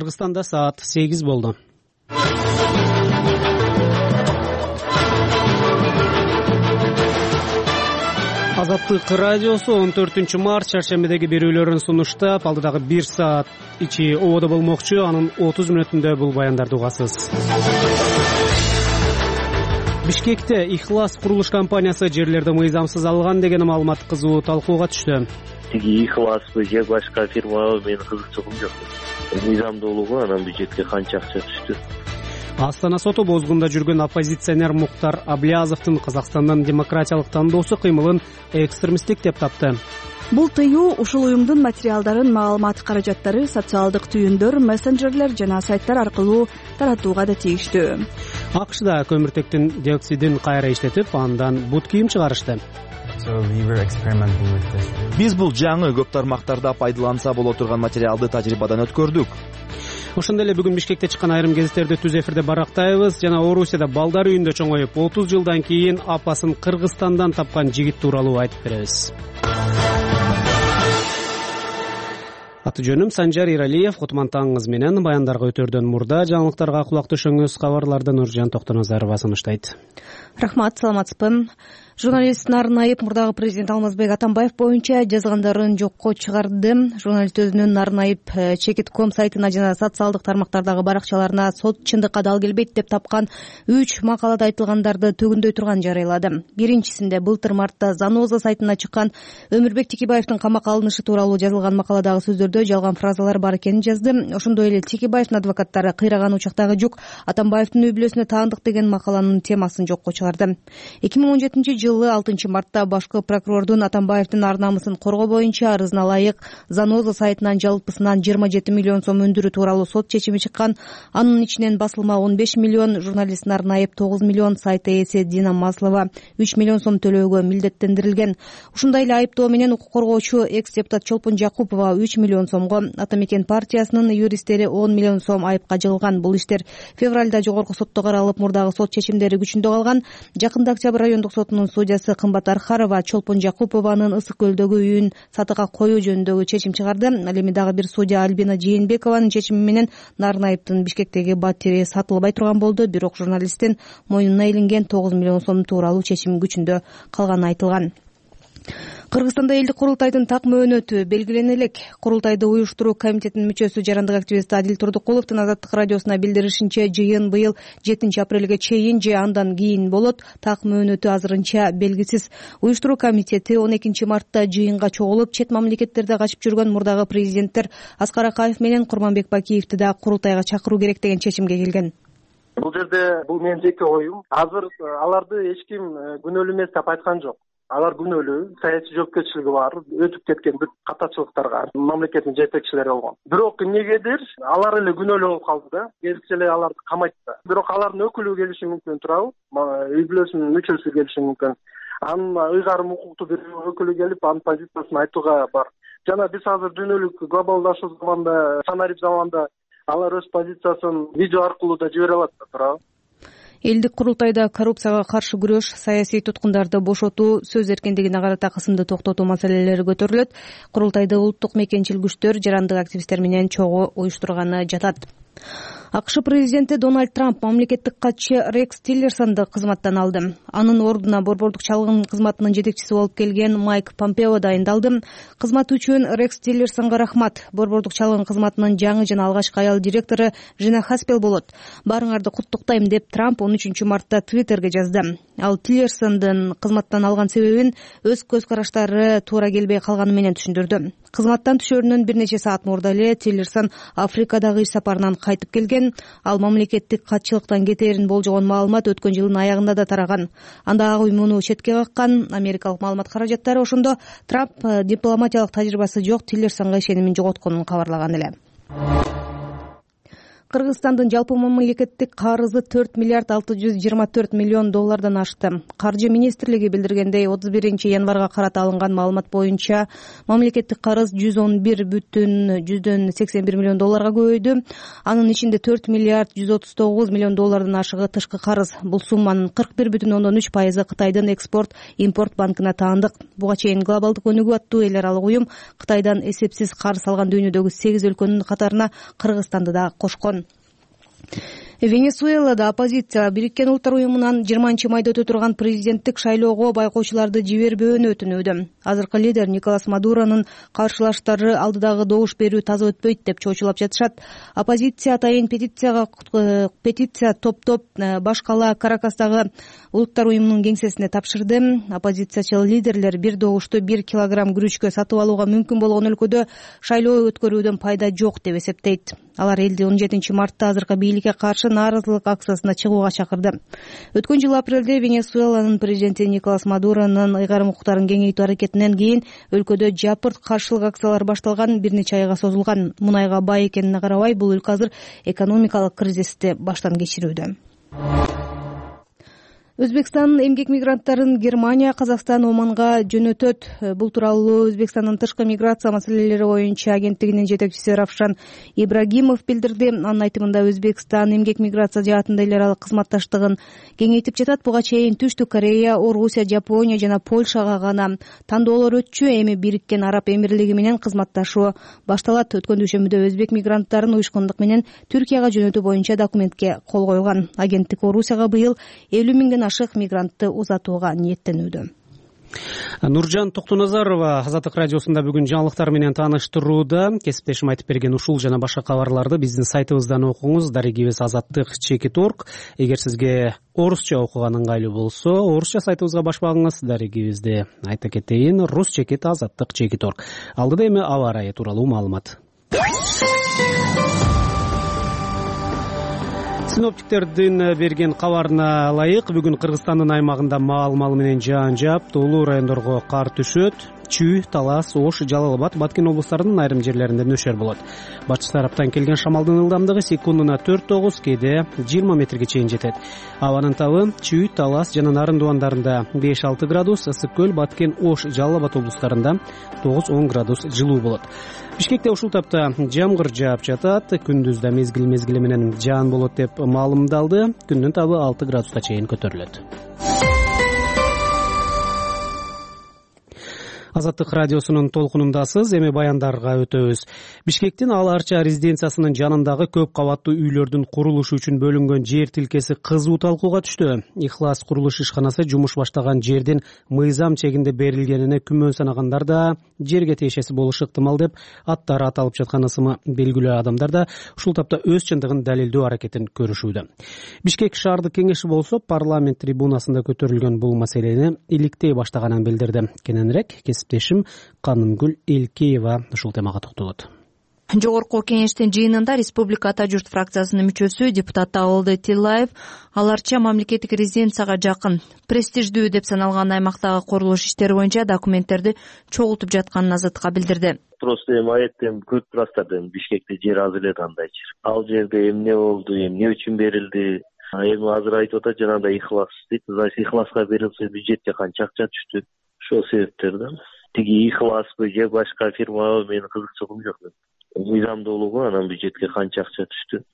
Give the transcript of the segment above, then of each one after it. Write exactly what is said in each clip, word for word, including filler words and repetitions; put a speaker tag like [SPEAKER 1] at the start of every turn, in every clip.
[SPEAKER 1] Кыргызстанда саат сегиз болду. Азаттык радиосу он төртүнчү март чаршембидеги берүүлөрүн сунуштап, алдыдагы бир саат ичи ободо болмокчу. Анын отуз мүнөтүндө бул баяндарды угасыз. Бишкекте Ихлас курулуш компаниясы жерлерди мыйзамсыз алган деген маалымат кызуу талкууга түштү.
[SPEAKER 2] Тиги Ихласпы же башка фирмабы менин кызыкчылыгым жок. Мыйзамдуулугу анан бюджетке канча акча түштү?
[SPEAKER 1] Астана соту бозгунда жүргөн оппозиционер Муктар Аблязовдун Казакстандын демократиялык тандоосу кыймылын экстремисттик деп тапты.
[SPEAKER 3] Бул тыюу ушул уюмдун материалдарын, маалымат каражаттары, социалдык түйүндөр, мессенджерлер жана сайттар аркылуу таратууга да тийиштүү.
[SPEAKER 1] АКШда көмүртектин диоксидин кайра иштетип, андан бут кийим чыгарышты.
[SPEAKER 4] Биз бул жаңы көп тармактарда пайдаланса боло турган материалды тажрыйбадан өткөрдүк.
[SPEAKER 1] Ошондой эле бүгүн Бишкекте чыккан айрым гезиттерди түз эфирде барактайбыз. Жана Орусияда балдар үйүндө чоңоюп, отуз жылдан кийин апасын Кыргызстандан тапкан жигит тууралуу айтып беребиз. Аты жөнүм Санжар Иралиев. Кутман таңыңыз менен. Баяндарга өтөрдөн мурда жаңылыктарга кулак түшүңүз. Кабарларды Нуржан Токтоназарова сунуштайт.
[SPEAKER 5] Рахмат, саламатсызбы. Журналист Нарынайып мурдагы президент Алмазбек Атамбаев боюнча жазгандарын жокко чыгарды. Журналист өзүнүн Нарынайып чекит точка ком сайтына жана социалдык тармактардагы баракчаларына сот чындыкка дал келбейт деп тапкан үч макалада айтылгандарды төгүндөй турган жарыялады. Биринчисинде былтыр мартта Заноза сайтына чыккан Өмүрбек Текебаевдин камакка алынышы тууралуу жазылган макаладагы сөздөрдө жалган фразалар бар экенин жазды. Ошондой эле Текебаевдин адвокаттары кыйраган учактагы жүк Атамбаевдин үй бүлөсүнө таандык деген макаланын темасын жокко чыгарды. эки миң он жетинчи жылы алтынчы мартта башкы прокурордун Атамбаевдин ар намысын коргоо боюнча арызына ылайык Заноза сайтынан жалпысынан жыйырма жети миллион сом өндүрүү тууралуу сот чечими чыккан. Анын ичинен басылма он беш миллион, журналист Нарынайып тогуз миллион, сайт ээси Дина Маслова үч миллион сом төлөөгө милдеттендирилген. Ушундай эле айыптоо менен укук коргоочу экс-депутат Чолпон Жакупова үч миллион сомго, Ата Мекен партиясынын юристтери он миллион сом айыпка жыгылган. Бул иштер февралда жогорку сотто каралып, мурдагы сот чечимдери күчүндө калган. Жакында Октябрь райондук сотунун судьясы Кымбат Архарова Чолпон Жакупованын Ысык көлдөгү үйүн сатыга коюу жөнүндөгү чечим чыгарды. Ал эми дагы бир судья Альбина Жээнбекованын чечими менен Нарынайыптын Бишкектеги батири сатылбай турган болду. Бирок журналисттин мойнуна илинген тогуз миллион сом тууралуу чечим күчүндө калганы айтылган. Кыргызстанда элдик курултайдын так мөөнөтү белгилене элек. Курултайды уюштуруу комитетинин мүчөсү жарандык активист Адил Турдукуловдун Азаттык радиосуна билдиришинче, жыйын быйыл жетинчи апрелге чейин же андан кийин болот. Так мөөнөтү азырынча белгисиз. Уюштуруу комитети он экинчи мартта жыйынга чогулуп, чет мамлекеттерде качып жүргөн мурдагы президенттер Аскар Акаев менен Курманбек Бакиевди да курултайга чакыруу керек деген чечимге келген.
[SPEAKER 6] Бул жерде бул менин жеке оюм. Азыр аларды эч ким күнөөлүү эмес деп айткан жок. Алар күнөөлүү, саясий жоопкерчилиги бар, өтүп кеткен бүт катачылыктарга мамлекеттин жетекчилери болгон. Бирок эмнегедир алар эле күнөөлүү болуп калды да, келсе эле аларды камайт да. Бирок алардын өкүлү келиши мүмкүн турабы, үй бүлөсүнүн мүчөсү келиши мүмкүн. Анын ыйгарым укуктуу бир өкүлү келип, анын позициясын айтууга бар. Жана биз азыр дүйнөлүк глобалдашуу заманда, санарип заманда алар өз позициясын видео аркылуу да жибере алат да, туурабы?
[SPEAKER 5] Элдик курултайда коррупцияга каршы күрөш, саясий туткундарды бошотуу, сөз эркиндигине карата кысымды токтотуу маселелери көтөрүлөт. Курултайды улуттук мекенчил күчтөр, жарандык активисттер менен чогуу уюштурганы жатат. АКШ президенти Дональд Трамп мамлекеттик катчы Рекс Тиллерсонду кызматтан алды. Анын ордуна борбордук чалгын кызматынын жетекчиси болуп келген Майк Помпео дайындалды. Кызмат үчүн Рекс Тиллерсонго рахмат. Борбордук чалгын кызматынын жаңы жана алгачкы аял директору Жина Хаспел болот. Баарыңарды куттуктайм деп Трамп он үчүнчү мартта Твиттерге жазды. Ал Тиллерсондун кызматтан алган себебин өз көз караштары туура келбей калганы менен түшүндүрдү. Кызматтан түшөрүнөн бир нече саат мурда эле Тиллерсон Африкадагы иш сапарынан кайтып келген. Ал мамлекеттик катчылыктан кетээрин болжогон маалымат өткөн жылдын аягында да тараган. Анда ак үй муну четке каккан. Америкалык маалымат каражаттары ошондо Трамп дипломатиялык тажрыйбасы жок Тиллерсонго ишенимин жоготконун кабарлаган эле. Кыргызстандын жалпы мамлекеттик карызы төрт миллиард алты жүз жыйырма төрт миллион доллардан ашты. Каржы министрлиги билдиргендей, отуз биринчи январга карата алынган маалымат боюнча мамлекеттик карыз жүз он бир бүтүн жүздөн сексен бир миллион долларга көбөйдү. Анын ичинде төрт миллиард жүз отуз тогуз миллион доллардан ашыгы тышкы карыз. Бул сумманын кырк бир бүтүн ондон үч пайызы Кытайдын экспорт импорт банкына таандык. Буга чейин глобалдык өнүгүү аттуу эл аралык уюм Кытайдан эсепсиз карыз алган дүйнөдөгү сегиз өлкөнүн катарына Кыргызстанды да кошкон. Венесуэлада оппозиция Бириккен Улуттар уюмунан жыйырманчы майда өтө турган президенттик шайлоого байкоочуларды жибербөөнү өтүнүүдө. Азыркы лидер Николас Мадуронун каршылаштары алдыдагы добуш берүү таза өтпөйт деп чоочулап жатышат. Оппозиция атайын петицияга петиция топтоп баш кала Каракастагы Улуттар уюмунун кеңсесине тапшырды. Оппозициячыл лидерлер бир добушту бир килограмм күрүчкө сатып алууга мүмкүн болгон өлкөдө шайлоо өткөрүүдөн пайда жок деп эсептейт. Алар элди он жетинчи мартта азыркы бийликке каршы нааразылык акциясына чыгууга чакырды. Өткөн жылы апрелде Венесуэланын президенти Николас Мадуронун ыйгарым укуктарын кеңейтүү аракетинен кийин өлкөдө жапырт каршылык акциялар башталган, бир нече айга созулган. Мунайга бай экенине карабай, бул өлкө азыр экономикалык кризисти баштан кечирүүдө. Өзбекстан эмгек мигранттарын Германия, Казакстан, Оманга жөнөтөт. Бул тууралуу Өзбекстандын тышкы миграция маселелери боюнча агенттигинин жетекчиси Равшан Ибрагимов билдирди. Анын айтымында Өзбекстан эмгек миграция жаатында эл аралык кызматташтыгын кеңейтип жатат. Буга чейин Түштүк Корея, Орусия, Жапония жана Польшага гана тандоолор өтчү. Эми Бириккен Араб Эмирлиги менен кызматташуу башталат. Өткөн дүйшөмбүдө өзбек мигранттарын уюшкундук менен Түркияга жөнөтүү боюнча документке кол койгон. Агенттик Орусияга быйыл элүү миңден ашык мигрантты узатууга ниеттенүүдө.
[SPEAKER 1] Нуржан Токтоназарова Азаттык радиосунда бүгүн жаңылыктар менен тааныштырууда. Кесиптешим айтып берген ушул жана башка кабарларды биздин сайтыбыздан окуңуз. Дарегибиз азаттык чекит точка орг. Эгер сизге орусча окуган ыңгайлуу болсо, орусча сайтыбызга баш багыңыз. Дарегибизди айта кетейин, рус чекит азаттык чекит точка орг. Алдыда эми аба ырайы тууралуу маалымат. Синоптиктердин берген кабарына ылайык, бүгүн Кыргызстандын аймагында маал-маал менен жаан жаап, тоолуу райондорго кар түшөт. Чүй, Талас, Ош, Жалал Абад, Баткен облустарынын айрым жерлеринде нөшөр болот. Батыш тараптан келген шамалдын ылдамдыгы секундуна төрт тогуз, кээде жыйырма метрге чейин жетет. Абанын табы Чүй, Талас жана Нарын дубандарында беш алты градус, Ысык көл, Баткен, Ош, Жалал Абад облустарында тогуз он градус жылуу болот. Бишкекте ушул тапта жамгыр жаап жатат. Күндүздө мезгил мезгили менен жаан болот деп маалымдалды. Күндүн табы алты градуска чейин көтөрүлөт. Азаттык радиосунун толкунундасыз. Эми баяндарга өтөбүз. Бишкектин Ал Арча резиденциясынын жанындагы көп кабаттуу үйлөрдүн курулушу үчүн бөлүнгөн жер тилкеси кызуу талкууга түштү. Ихлас курулуш ишканасы жумуш баштаган жердин мыйзам чегинде берилгенине күмөн санагандар да жерге тиешеси болушу ыктымал деп аттары аталып жаткан ысымы белгилүү адамдар да ушул тапта өз чындыгын далилдөө аракетин көрүшүүдө. Бишкек шаардык кеңеши болсо парламент трибунасында көтөрүлгөн бул маселени иликтей баштаганын билдирди. Кененирээк кесиптешим Канымгүл Элкеева ушул темага токтолот.
[SPEAKER 7] Жогорку кеңештин жыйынында Республика Ата журт фракциясынын мүчөсү депутат Абылды Тиллаев Ал Арча мамлекеттик резиденцияга жакын, престиждүү деп саналган аймактагы курулуш иштери боюнча документтерди чогултуп жатканын Азаттыкка билдирди.
[SPEAKER 2] Просто эми аятем көрүп турасыздар, эми Бишкекте жер аз эле кандайчы. Ал жерде эмне болду, эмне үчүн берилди? Эми азыр айтып атат, жанагындай ихлас дейт. Значит, ихласка берилсе бюджетке канча акча түштү? Ошол себептерден тиги ихласпы же башка фирмабы менин кызыкчылыгым жок. Мыйзамдуулугу анан бюджетке канча акча түштү,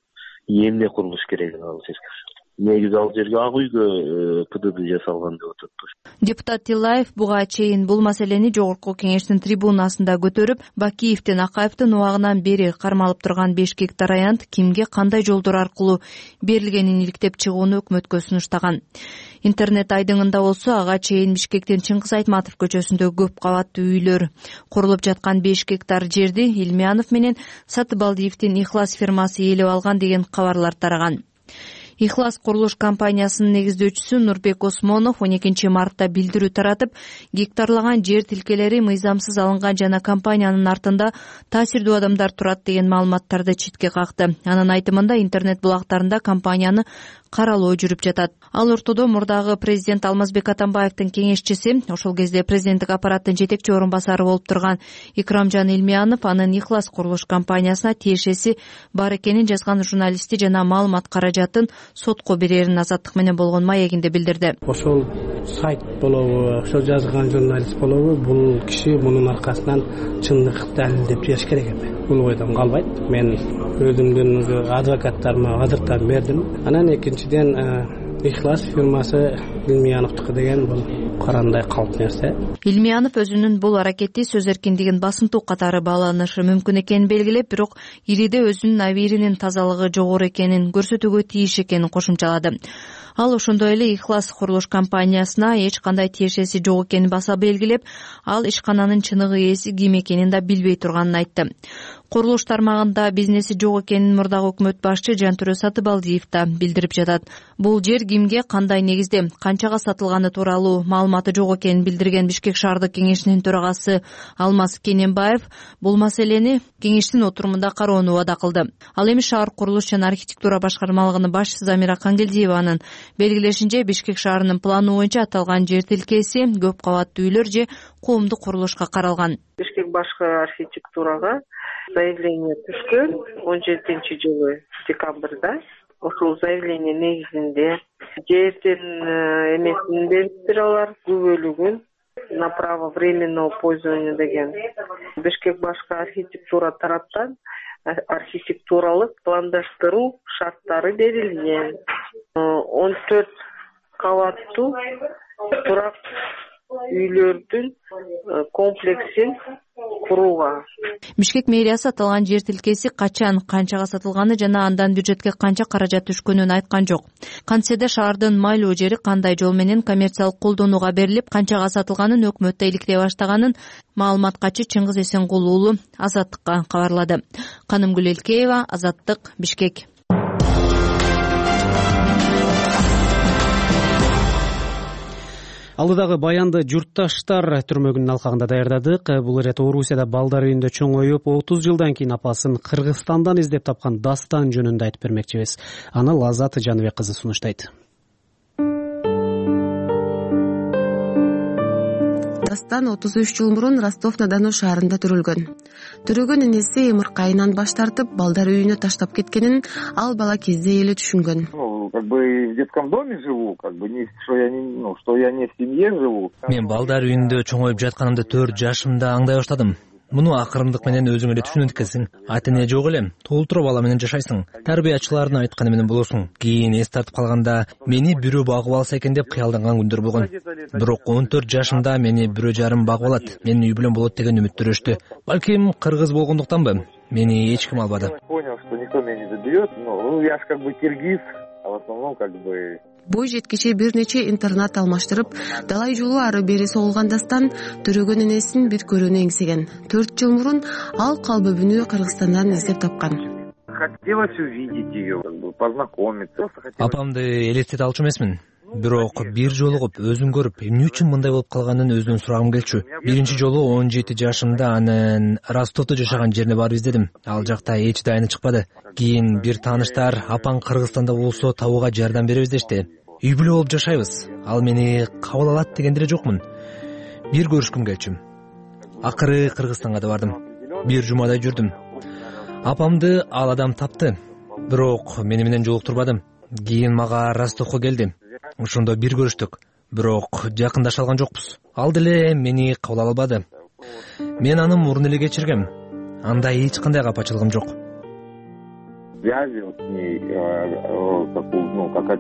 [SPEAKER 2] эмне курулуш керек ал жерге. Негизи ал жерге ак үйгө ПДД жасалган деп атат.
[SPEAKER 7] Депутат Тиллаев буга чейин бул маселени жогорку кеңештин трибунасында көтөрүп, Бакиевдин Акаевдин убагынан бери кармалып турган беш гектар аянт кимге кандай жолдор аркылуу берилгенин иликтеп чыгууну өкмөткө сунуштаган. Интернет айдыңында болсо ага чейин Бишкектин Чыңгыз Айтматов көчөсүндө көп кабаттуу үйлөр курулуп жаткан беш гектар жерди Илмиянов менен Сатыбалдиевдин Ихлас фирмасы ээлеп алган деген кабарлар тараган. Ихлас курулуш компаниясынын негиздөөчүсү Нурбек Осмонов он экинчи мартта билдирүү таратып, гектарлаган жер тилкелери мыйзамсыз алынган жана компаниянын артында таасирдүү адамдар турат деген маалыматтарды четке какты. Анын айтымында интернет булактарында компанияны каралуу жүрүп жатат. Ал ортодо мурдагы президент Алмазбек Атамбаевдин кеңешчиси, ошол кезде президенттик аппараттын жетекчи орун басары болуп турган Икрамжан Илмиянов анын Ихлас курулуш компаниясына тиешеси бар экенин жазган журналисти жана маалымат каражатын сотко берерин Азаттык менен болгон маегинде билдирди.
[SPEAKER 8] Ошол сайт болобу, ошол жазган журналист болобу, бул киши мунун аркасынан чындык далилдеп бериш керек эми. Бул ойдон калбайт. Мен өзүмдүн адвокаттарыма азыртан бердим. Анан экинчиден Ихлас фирмасы Илмияновдуку деген бул карандай калп нерсе.
[SPEAKER 7] Илмиянов өзүнүн бул аракети сөз эркиндигин басынтуу катары бааланышы мүмкүн экенин белгилеп, бирок ириде өзүнүн абийиринин тазалыгы жогору экенин көрсөтүүгө тийиш экенин кошумчалады. Ал ошондой эле Ихлас курулуш компаниясына эч кандай тиешеси жок экенин баса белгилеп, ал ишкананын чыныгы ээси ким экенин да билбей турганын айтты. Курулуш тармагында бизнеси жок экенин мурдагы өкмөт башчы Жантүрө Сатыбалдиев да билдирип жатат. Бул жер кимге, кандай негизде, канчага сатылганы тууралуу маалыматы жок экенин билдирген Бишкек шаардык кеңешинин төрагасы Алмаз Кененбаев бул маселени кеңештин отурумунда кароону убада кылды. Ал эми шаар курулуш жана архитектура башкармалыгынын башчысы Замира Кангелдиеванын белгилешинче, Бишкек шаарынын планы боюнча аталган жер тилкеси көп кабаттуу үйлөр же коомдук курулушка каралган.
[SPEAKER 9] Бишкек башкы архитектурага заявление түшкөн он жетинчи жылы декабрда. Ошол заявление негизинде жердин эмесин бериптир алар, күбөлүгүн на право временного пользования деген. Бишкек башкы архитектура тараптан архитектуралык пландаштыруу шарттары берилген. он төрт кабаттуу турак үйлөрдүн комплексин курууга.
[SPEAKER 7] Бишкек мэриясы аталган жер тилкеси качан, канчага сатылганы жана андан бюджетке канча каражат түшкөнүн айткан жок. Кантсе шаардын майлуу жери кандай жол менен коммерциялык колдонууга берилип, канчага сатылганын өкмөттө иликтей баштаганын маалымат качы Чыңгыз Эсенгул уулу Азаттыкка кабарлады. Канымгүл Элкеева, Азаттык, Бишкек.
[SPEAKER 1] Алдыдагы баянды журтташтар түрмөгүнүн алкагында даярдадык. Бул ирет Орусияда балдар үйүндө чоңоюп, отуз жылдан кийин апасын Кыргызстандан издеп тапкан Дастан жөнүндө айтып бермекчибиз. Аны Лазат Жаныбек кызы сунуштайт.
[SPEAKER 10] Дастан отуз үч жыл мурун Ростов-на-Дону шаарында төрөлгөн. Төрөгөн энеси эмыркы айынан баш тартып, балдар үйүнө таштап кеткенин ал бала кезде эле түшүнгөн.
[SPEAKER 11] Как бы в детском доме живу, как бы не что я не, ну, что я не в семье живу.
[SPEAKER 12] Мен балдар үйүндө чоңоюп жатканымды төрт жашымда аңдай баштадым. Муну акырындык менен өзүң эле түшүнөт экенсиң. Ата эне жок эле, толтура бала менен жашайсың. Тарбиячылардын айтканы менен болосуң. Кийин эс тартып калганда мени бирөө багып алса экен деп кыялданган күндөр болгон. Бирок он төрт жашымда мени бирөө жарым багып алат, менин үй бүлөм болот деген үмүттөрүштү. Балким кыргыз болгондуктанбы, мени эч ким албады.
[SPEAKER 11] Понял, что никто меня не заберет, но я ж как бы киргиз, а в основном как бы
[SPEAKER 10] Бой жеткиче бир нече интернат алмаштырып, далай жолу ары бери соолган Дастан төрөгөн энесин бир көрүүнү эңсеген. төрт жыл мурун ал калбөбүнү Кыргызстандан издеп тапкан.
[SPEAKER 11] Хотелось увидеть ее, как бы познакомиться.
[SPEAKER 12] Апамды элестете алчу эмесмин. Бирок бир жолугуп, өзүн көрүп, эмне үчүн мындай болуп калганын өзүнөн сурагым келчү. Биринчи жолу он жети жашымда анын Ростовдо жашаган жерине барып издедим. Ал жакта эч дайыны чыкпады. Кийин бир тааныштар апаң Кыргызстанда болсо табууга жардам беребиз дешти. Үй бүлө болуп жашайбыз. Ал мени кабыл алат дегенде эле жокмун. Бир көрүшкүм келчү. Акыры Кыргызстанга да бардым. Бир жумадай жүрдүм. Апамды ал адам тапты. Бирок мени менен жолуктурбады. Кийин мага Ростовго келди. Ошондо бир көрүштүк. Бирок жакындаша алган жокпуз. Ал деле мени кабыл албады. Мен аны мурун эле кечиргем. Анда эч кандай капачылыгым жок.
[SPEAKER 11] Связи вот с ней, такую, ну, как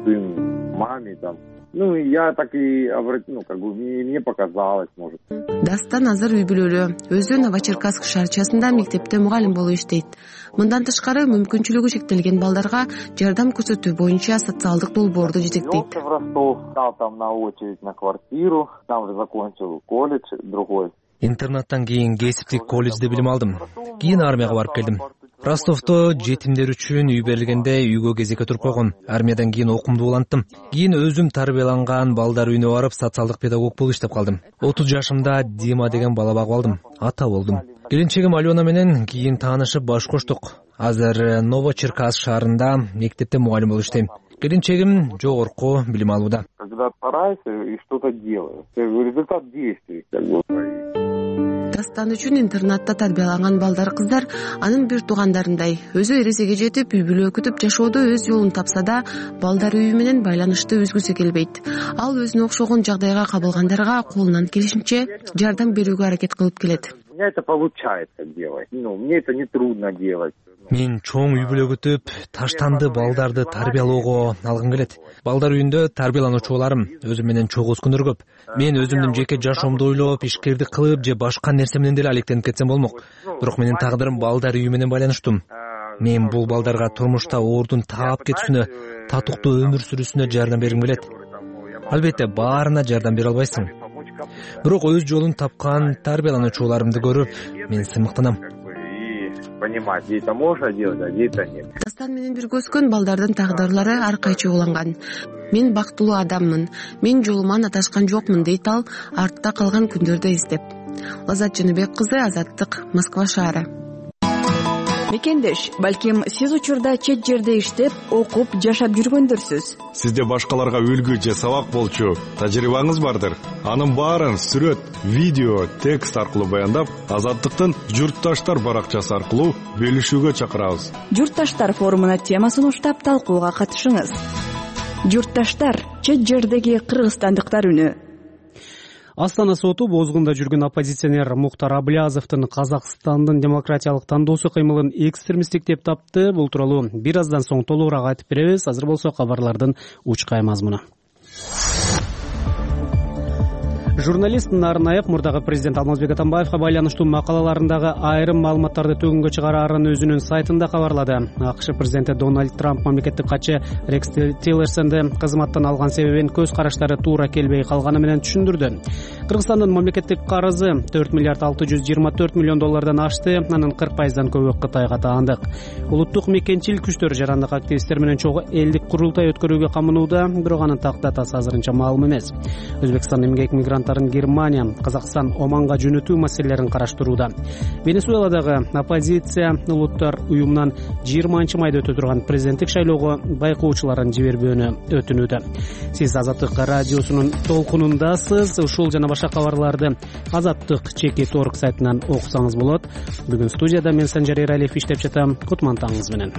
[SPEAKER 11] сын маме там. Ну, я так и обратил, ну, как бы мне показалось, может.
[SPEAKER 10] Дастан азыр үй бүлөлүү. Өзү Новочеркасск шаарчасында мектепте мугалим болуп иштейт. Мындан тышкары мүмкүнчүлүгү чектелген балдарга жардам көрсөтүү боюнча социалдык долбоорду жетектейт.
[SPEAKER 11] В Ростов, стал там на очередь на квартиру, там же закончил колледж другой.
[SPEAKER 12] Интернаттан кийин кесиптик колледжде билим алдым. Кийин армияга барып келдим. Ростовдо жетимдер үчүн үй берилгенде үйгө кезекке туруп койгон. Армиядан кийин окуумду уланттым. Кийин өзүм тарбияланган балдар үйүнө барып социалдык педагог болуп иштеп калдым. отуз жашымда Дима деген бала багып алдым. Ата болдум. келинчегим Алена менен кийин таанышып баш коштук. Азыр Новочеркасск шаарында мектепте мугалим болуп иштейм. Келинчегим жогорку билим алууда.
[SPEAKER 11] Когда стараешься и что-то делаешь, результат действий, как бы.
[SPEAKER 10] Дастан үчүн интернатта тарбияланган балдар кыздар анын бир туугандарындай өзү эресеге жетип үй бүлө күтүп жашоодо өз жолун тапса да балдар үйү менен байланышты үзгүсү келбейт. Ал өзүнө окшогон жагдайга кабылгандарга колунан келишинче жардам берүүгө аракет кылып келет.
[SPEAKER 11] У меня это получается делать. Ну, мне это не трудно делать.
[SPEAKER 12] Мен чоң үй бүлө күтүп, таштанды балдарды тарбиялоого алгым келет. Балдар үйүндө тарбиялануучу боларым. Өзүм менен чогуу күндөр көп. Мен өзүмдүн жеке жашоомду ойлоп, ишкердик кылып же башка нерсе менен деле алектенип кетсем болмок. Бирок менин тагдырым балдар үйү менен байланыштуу. Мен бул балдарга турмушта оордун таап кетүүсүнө, татыктуу өмүр сүрүүсүнө жардам бергим келет. Албетте, баарына жардам бере албайсың. Бирок өз жолун тапкан тарбиялануучуларымды көрүп, мен сыймыктанам.
[SPEAKER 11] Понимать, где это можно делать, а где это нет.
[SPEAKER 10] Дастан менен бирге өскөн балдардын тагдырлары ар кайчы уланган. Мен бактылуу адаммын, мен жолуман адашкан жокмун дейт ал артта калган күндөрдү эстеп. Лазат Жаныбек кызы, Азаттык, Москва шаары.
[SPEAKER 3] Мекендеш, балким сиз учурда чет жерде иштеп, окуп, жашап жүргөндөрсүз.
[SPEAKER 13] Сизде башкаларга үлгү же сабак болчу тажрыйбаңыз бардыр. Анын баарын сүрөт, видео, текст аркылуу баяндап, Азаттыктын Журтташтар баракчасы аркылуу бөлүшүүгө чакырабыз.
[SPEAKER 3] Журтташтар форумуна темасын уштап талкууга катышыңыз. Журтташтар, чет жердеги кыргызстандыктар үнү.
[SPEAKER 1] Астана соту бозгунда жүргөн оппозиционер Мухтар Аблязовдун Казакстандын демократиялык тандоосу кыймылын экстремисттик деп тапты. Бул тууралуу бир аздан соң толугураак айтып беребиз. Азыр болсо кабарлардын учкай мазмуну. Журналист Нарнаев мурдагы президент Алмазбек Атамбаевга байланыштуу макалаларындагы айрым маалыматтарды төгүнгө чыгараарын өзүнүн сайтында кабарлады. АКШ президенти Дональд Трамп мамлекеттик катчы Рекс Тиллерсонду кызматтан алган себебин көз караштары туура келбей калганы менен түшүндүрдү. Кыргызстандын мамлекеттик карызы төрт миллиард алты жүз жыйырма төрт миллион доллардан ашты, анын кырк пайыздан көбү Кытайга таандык. Улуттук мекенчил күчтөр жарандык активисттер менен чогуу элдик курултай өткөрүүгө камынууда, бирок анын так датасы азырынча маалым эмес. Өзбекстан эмгек мигранттарын Германия, Казакстан, Оманга жөнөтүү маселелерин караштырууда. Венесуэладагы оппозиция улуттар уюмунан жыйырманчы майда өтө турган президенттик шайлоого байкоочуларын жибербөөнү өтүнүүдө. Сиз Азаттык радиосунун толкунундасыз. Ушул жана башка кабарларды Азаттык чекит точка орг сайтынан окусаңыз болот. Бүгүн студияда мен Санжар Эралиев иштеп жатам. Кутмантаңыз менен.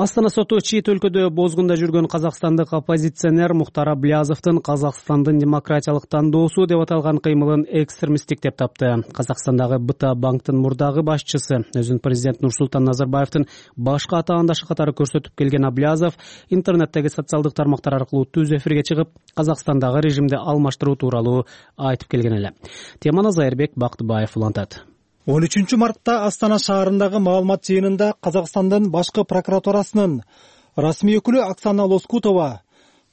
[SPEAKER 1] Астана соту чет өлкөдө бозгунда жүргөн казакстандык оппозиционер Мухтар Аблязовдун Казакстандын демократиялык тандоосу деп аталган кыймылын экстремисттик деп тапты. Казакстандагы БТА банктын мурдагы башчысы, өзүн президент Нурсултан Назарбаевдин башка атаандашы катары көрсөтүп келген Аблязов интернеттеги социалдык тармактар аркылуу түз эфирге чыгып, Казакстандагы режимди алмаштыруу тууралуу айтып келген эле. Теманы Зайырбек Бактыбаев улантат.
[SPEAKER 14] он үчүнчү мартта Астана шаарындагы маалымат жыйынында Казакстандын башкы прокуратурасынын расмий өкүлү Оксана Лоскутова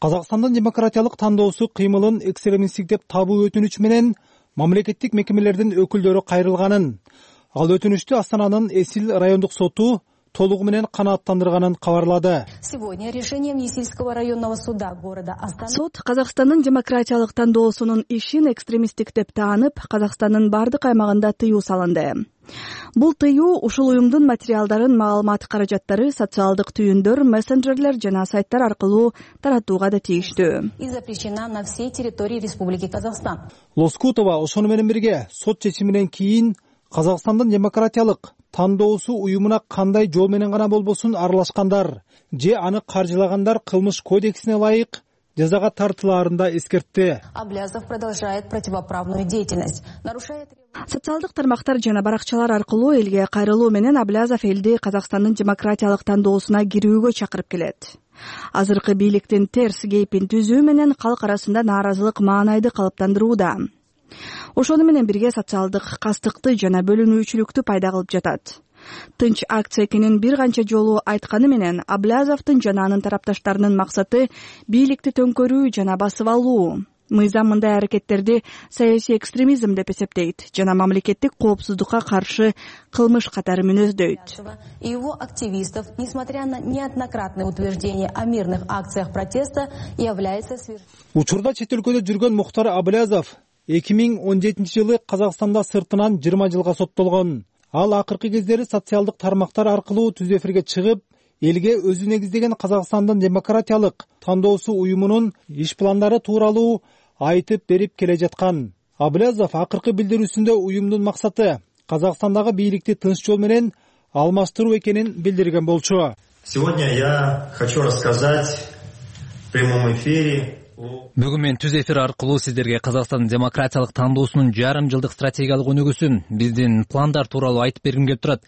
[SPEAKER 14] Казакстандын демократиялык тандоосу кыймылын экстремисттик деп табуу өтүнүч менен мамлекеттик мекемелердин өкүлдөрү кайрылганын, ал өтүнүчтү Астананын Эсил райондук соту толугу менен канааттандырганын кабарлады.
[SPEAKER 15] Сегодня решением Есильского районного суда города Астана
[SPEAKER 3] Сот Казакстандын демократиялык тандоосунун ишин экстремисттик деп таанып, Казакстандын бардык аймагында тыюу салынды. Бул тыюу ушул уюмдун материалдарын, маалымат каражаттары, социалдык түйүндөр, мессенджерлер жана сайттар аркылуу таратууга да тийиштүү.
[SPEAKER 15] И запрещена на всей территории Республики Казахстан.
[SPEAKER 14] Лоскутова ошону менен бирге сот чечиминен кийин Казакстандын демократиялык тандоосу уюмуна кандай жол менен гана болбосун аралашкандар же аны каржылагандар кылмыш кодексине ылайык жазага тартылаарын да эскертти.
[SPEAKER 15] Аблязов продолжает противоправную деятельность, нарушает
[SPEAKER 3] социалдык тармактар жана баракчалар аркылуу элге кайрылуу менен Аблязов элди Казакстандын демократиялык тандоосуна кирүүгө чакырып келет. Азыркы бийликтин терс кейпин түзүү менен калк арасында нааразылык маанайды калыптандырууда. Ошону менен бирге социалдык кастыкты жана бөлүнүүчүлүктү пайда кылып жатат. Тынч акция экенин бир канча жолу айтканы менен Аблязовдун жана анын тарапташтарынын максаты бийликти төңкөрүү жана басып алуу. Мыйзам мындай аракеттерди саясий экстремизм деп эсептейт жана мамлекеттик коопсуздукка каршы кылмыш катары мүнөздөйт.
[SPEAKER 15] И его активистов, несмотря на неоднократные утверждения о мирных акциях протеста, является свер...
[SPEAKER 14] Учурда чет өлкөдө жүргөн Мухтар Аблязов эки миң он жетинчи жылы Казакстанда сыртынан жыйырма жылга соттолгон. Ал акыркы кездери социалдык тармактар аркылуу түз эфирге чыгып, элге өзү негиздеген Казакстандын демократиялык тандоосу уюмунун иш пландары тууралуу айтып берип келе жаткан. Аблязов акыркы билдирүүсүндө уюмдун максаты Казакстандагы бийликти тынч жол менен алмаштыруу экенин билдирген болчу.
[SPEAKER 16] Сегодня я хочу рассказать в прямом эфире.
[SPEAKER 12] Бүгүн мен түз эфир аркылуу сиздерге Казакстандын демократиялык тандоосунун жарым жылдык стратегиялык өнүгүүсүн, биздин пландар тууралуу айтып бергим келип турат.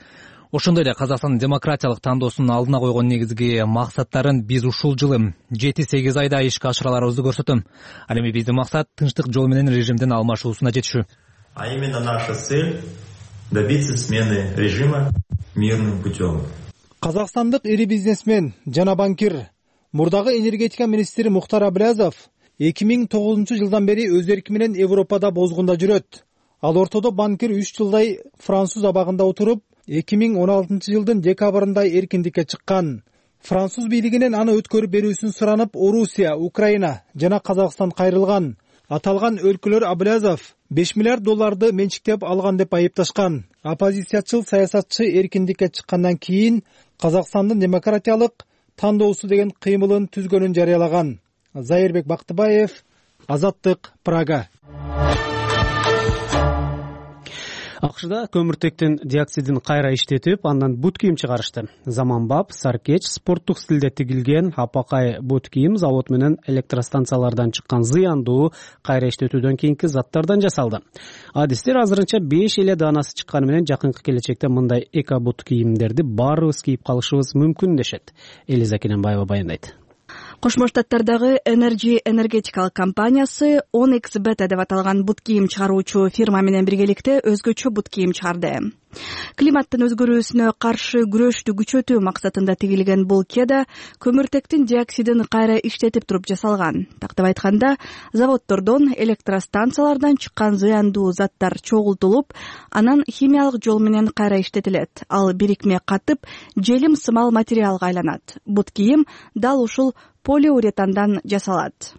[SPEAKER 12] Ошондой эле Казакстандын демократиялык тандоосунун алдына койгон негизги максаттарын биз ушул жылы жети сегиз айда ишке ашыраларыбызды көрсөтөм. Ал эми биздин максат тынчтык жол менен режимдин алмашуусуна жетишүү.
[SPEAKER 16] А именно наша цель добиться смены режима мирным путем.
[SPEAKER 14] Казакстандык ири бизнесмен жана банкир, мурдагы энергетика министри Мухтар Аблязов эки миң тогузунчу жылдан бери өз эрки менен Европада бозгунда жүрөт. Ал ортодо банкир үч жылдай француз абагында отуруп, эки миң он алтынчы жылдын декабрында эркиндикке чыккан. Француз бийлигинен аны өткөрүп берүүсүн суранып, Орусия, Украина жана Казакстан кайрылган. Аталган өлкөлөр Аблязов беш миллиард долларды менчиктеп алган деп айыпташкан. Оппозициячыл саясатчы эркиндикке чыккандан кийин Казакстандын демократиялык тандоосу деген кыймылын түзгөнүн жарыялаган. Зайырбек Бактыбаев, Азаттык, Прага.
[SPEAKER 1] АКШда көмүртектин диоксидин кайра иштетип, андан бут кийим чыгарышты. Заманбап, Саркеч спорттук стилде тигилген апакай бут кийим завод менен электростанциялардан чыккан зыяндуу кайра иштетүүдөн кийинки заттардан жасалды. Адистер азырынча беш эле даанасы чыкканы менен жакынкы келечекте мындай эко бут кийимдерди баарыбыз кийип калышыбыз мүмкүн дешет. Элиза Кененбаева баяндайт.
[SPEAKER 3] Кошмо Штаттардагы Energy энергетикалык компаниясы он икс бета деп аталган бут кийим чыгаруучу фирма менен биргеликте өзгөчө бут кийим чыгарды. Климаттын өзгөрүүсүнө каршы күрөштү күчөтүү максатында тигилген бул кеда көмүртектин диоксидин кайра иштетип туруп жасалган. Тактап айтканда, заводдордон, электростанциялардан чыккан зыяндуу заттар чогултулуп, анан химиялык жол менен кайра иштетилет. Ал бирикме катып, желим сымал материалга айланат. Бут кийим дал ушул полиуретандан жасалат.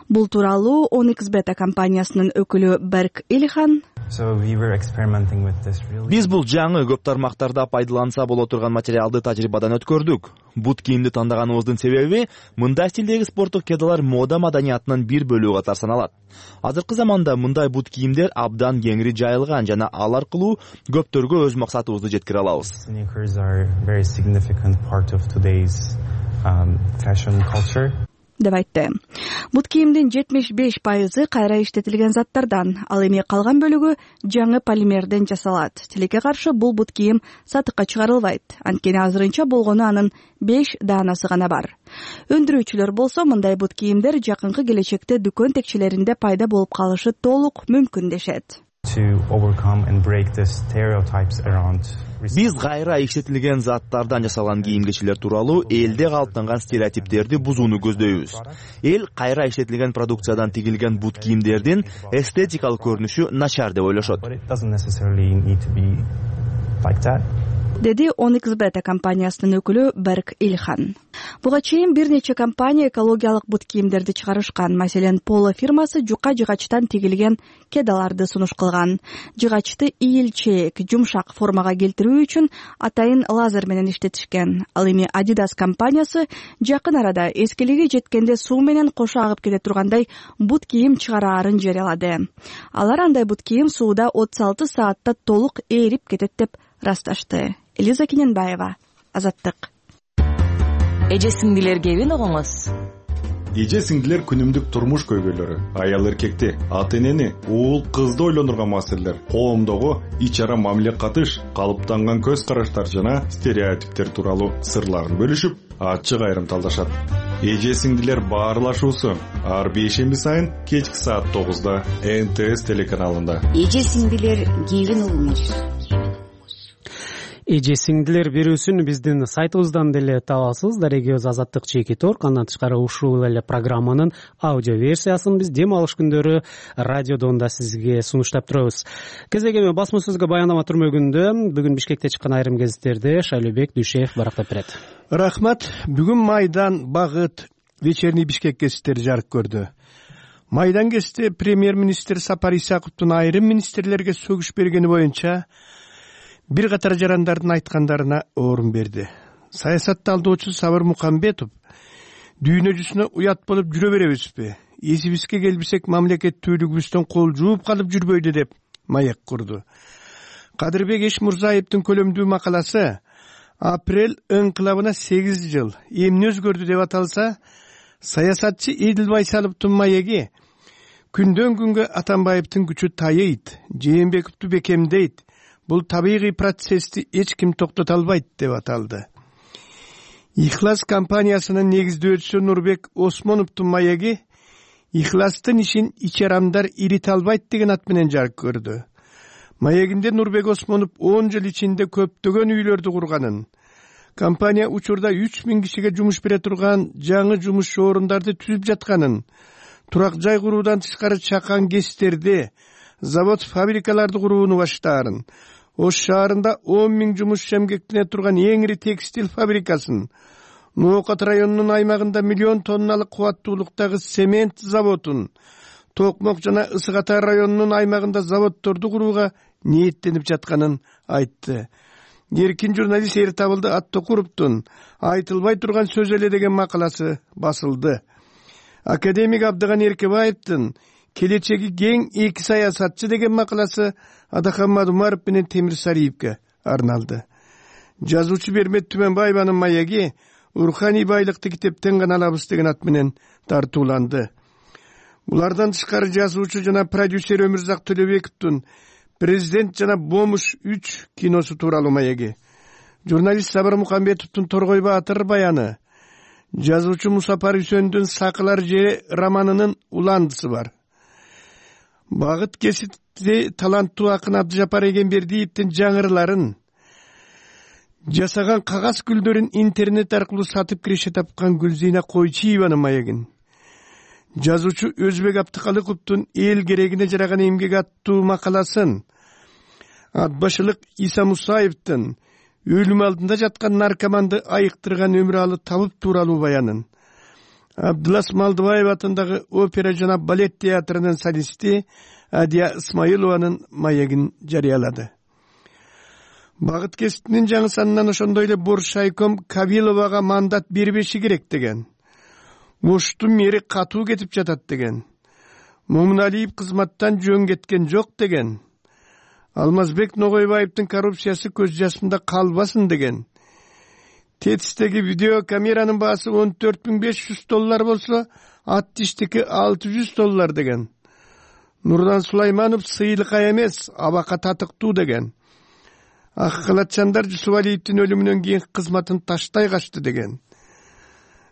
[SPEAKER 3] Бул тууралуу он икс бета компаниясынын өкүлү Берк Ильхан:
[SPEAKER 4] Биз бул жаңы көп тармактарда пайдаланса боло турган материалды тажрыйбадан өткөрдүк. Бут кийимди тандаганыбыздын себеби мындай стилдеги спорттук кедалар мода маданиятынын бир бөлүгү катары саналат. Азыркы заманда мындай бут кийимдер абдан кеңири жайылган жана ал аркылуу көптөргө өз максатыбызды жеткире алабыз.
[SPEAKER 3] деп айтты. Бут кийимдин жетимиш беш пайызы кайра иштетилген заттардан, ал эми калган бөлүгү жаңы полимерден жасалат. Тилекке каршы бул бут кийим сатыкка чыгарылбайт. Анткени азырынча болгону анын беш даанасы гана бар. Өндүрүүчүлөр болсо мындай бут кийимдер жакынкы келечекте дүкөн текчелеринде пайда болуп калышы толук мүмкүн дешет.
[SPEAKER 4] Биз кайра иштетилген заттардан жасалган кийим-кечилер тууралуу элде калыптанган стереотиптерди бузууну көздөйбүз. Эл кайра иштетилген продукциядан тигилген бут кийимдердин эстетикалык көрүнүшү начар деп ойлошот.
[SPEAKER 3] Деди он икс бета компаниясынын өкүлү Берк Ильхан. Буга чейин бир нече компания экологиялык бут кийимдерди чыгарышкан. Маселен, Поло фирмасы жука жыгачтан тигилген кедаларды сунуш кылган. Жыгачты ийилчээк, жумшак формага келтирүү үчүн атайын лазер менен иштетишкен. Ал эми Adidas компаниясы жакын арада эскилиги жеткенде суу менен кошо агып кете тургандай бут кийим чыгараарын жарыялады. Алар андай бут кийим сууда отуз алты саатта толук ээрип кетет деп расташты. Элиза Кененбаева, Азаттык.
[SPEAKER 17] Эже сиңдилер кебин угуңуз.
[SPEAKER 13] Эже сиңдилер күнүмдүк турмуш көйгөйлөрү, аял эркекти, ата энени, уул кызды ойлондурган маселелер, коомдогу ич ара мамиле катыш, калыптанган көз караштар жана стереотиптер тууралуу сырларын бөлүшүп, ачык айрым талдашат. Эже сиңдилер баарлашуусу ар бейшемби сайын кечки саат тогузда Н Т С телеканалында.
[SPEAKER 17] Эже сиңдилер кебин угуңуз.
[SPEAKER 1] эже сиңдилер берүүсүн биздин сайтыбыздан деле табасыз. Дарегибиз Азаттык чекит орг. Андан тышкары ушул эле программанын аудио версиясын биз дем алыш күндөрү радиодон да сизге сунуштап турабыз. Кезек эми басма сөзгө баяндама түрмөгүндө бүгүн Бишкекте чыккан айрым гезиттерди Шайлообек Дүйшеев барактап берет.
[SPEAKER 18] Рахмат. Бүгүн Майдан, Багыт, Вечерний Бишкек гезиттери жарык көрдү. Майдан гезити премьер-министр Сапар Исаковдун айрым министрлерге сөгүш бергени боюнча бир катар жарандардын айткандарына орун берди. Саясатты алдоочу Сабыр Мукамбетов дүйнө жүзүнө уят болуп жүрө беребизби? Эсибизге келбесек мамлекеттүүлүгүбүздөн кол жууп калып жүрбөйдү деп маек курду. Кадырбек Эшмурзаевдин көлөмдүү макаласы апрель ыңкылабына сегиз жыл эмне өзгөрдү деп аталса, саясатчы Эдил Байсаловдун маеги күндөн күнгө Атамбаевдин күчү тайыйт, Жээнбековду бекемдейт, бул табигый процессти эч ким токтото албайт деп аталды. Ихлас компаниясынын негиздөөчүсү Нурбек Осмоновдун маеги Ихластын ишин ичарамдар ирите албайт деген ат менен жарык көрдү. Маегинде Нурбек Осмонов он жыл ичинде көптөгөн үйлөрдү курганын, компания учурда үч миң кишиге жумуш бере турган жаңы жумуш орундарды түзүп жатканын, турак жай куруудан тышкары чакан кестерди, завод фабрикаларды курууну баштаарын, Ош шаарында он миң жумушчу эмгектене турган эң ири текстил фабрикасын, Ноокат районунун аймагында миллион тонналык кубаттуулуктагы цемент заводун, Токмок жана Ысык Ата районунун аймагында заводдорду курууга ниеттенип жатканын айтты. Эркин журналист Эртабылды Аттокуровдун айтылбай турган сөз эле деген макаласы басылды. Академик Абдыган Эркебаевдин келечеги кең эки саясатчы деген макаласы Адахан Мадумаров менен Темир Сариевке арналды. Жазуучу Бермет Түмөнбаеванын маеги руханий байлыкты китептен гана алабыз деген ат менен тартууланды. Булардан тышкары жазуучу жана продюсер Өмүрзак Төлөбековдун Президент жана Бомуш үч киносу тууралуу маеги, журналист Сабыр Мукамбетовдун Торгой Баатыр баяны, жазуучу Мусапар Үсөндүн Сакылар же романынын уландысы бар. Багыт гезити таланттуу акын Абдыжапар Эгембердиевдин жаңырыларын, жасаган кагаз гүлдөрүн интернет аркылуу сатып киреше тапкан Гүлзина Койчиеванын маегин, жазуучу Өзбек Аптыкалыковдун эл керегине жараган эмгек аттуу макаласын, Атбашылык Иса Мусаевдин өлүм алдында жаткан наркоманды айыктырган өмүралы табып тууралуу баянын, Абдылас Малдыбаев атындагы опера жана балет театрынын солисти Адия Исмаилованын маегин жарыялады. Багыт гезитинин жаңы санынан ошондой эле Боршайком Кавиловага мандат бербеши керек деген, Оштун мери катуу кетип жатат деген, Момуналиев кызматтан жөн кеткен жок деген, Алмазбек Ногойбаевдин коррупциясы көз жасында калбасын деген, Тетистеги видеокамеранын баасы он төрт миң беш жүз доллар болсо, ат тиштики алты жүз доллар деген, Нурлан Сулайманов сыйлыкка эмес, абакка татыктуу деген, Аккалатчандар Жусупалиевдин өлүмүнөн кийин кызматын таштай качты деген,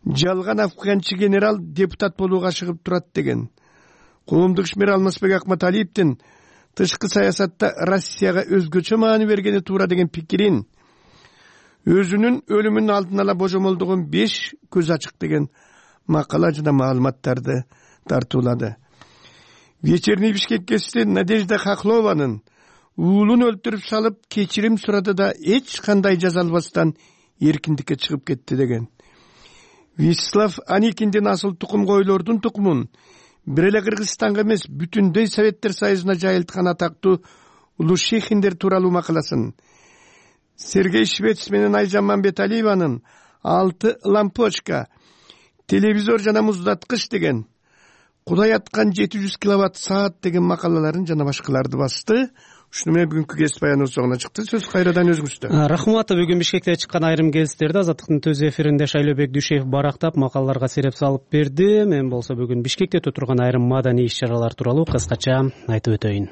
[SPEAKER 18] жалган афганчы генерал депутат болууга ашыгып турат деген, коомдук ишмер Алмазбек Акматалиевдин тышкы саясатта Россияга өзгөчө маани бергени туура деген пикирин, өзүнүн өлүмүнүн алдын ала божомолдогон беш көз ачык деген макала жана маалыматтарды тартуулады. Вечерний Бишкек гезити Надежда Хохлованын уулун өлтүрүп салып кечирим сурады да эч кандай жаза албастан эркиндикке чыгып кетти деген. Вячеслав Аникиндин асыл тукум койлордун тукумун бир эле Кыргызстанга эмес бүтүндөй Советтер Союзуна жайылткан атактуу Улушехиндер тууралуу макаласын, Сергей Швец менен Айжан Мамбеталиеванын алты лампочка, телевизор жана муздаткыч деген, Кудай аткан жети жүз киловатт саат деген макалаларын жана башкаларды басты. Ушуну менен бүгүнкү гезит баяны соңуна чыкты. Сөз кайрадан өзүңүздө.
[SPEAKER 1] Рахмат. Бүгүн Бишкекте чыккан айрым гезиттерди Азаттыктын төз эфиринде Шайлообек Дүйшеев барактап макалаларга сереп салып берди. Мен болсо бүгүн Бишкекте өтө турган айрым маданий иш-чаралар тууралуу кыскача айтып өтөйүн.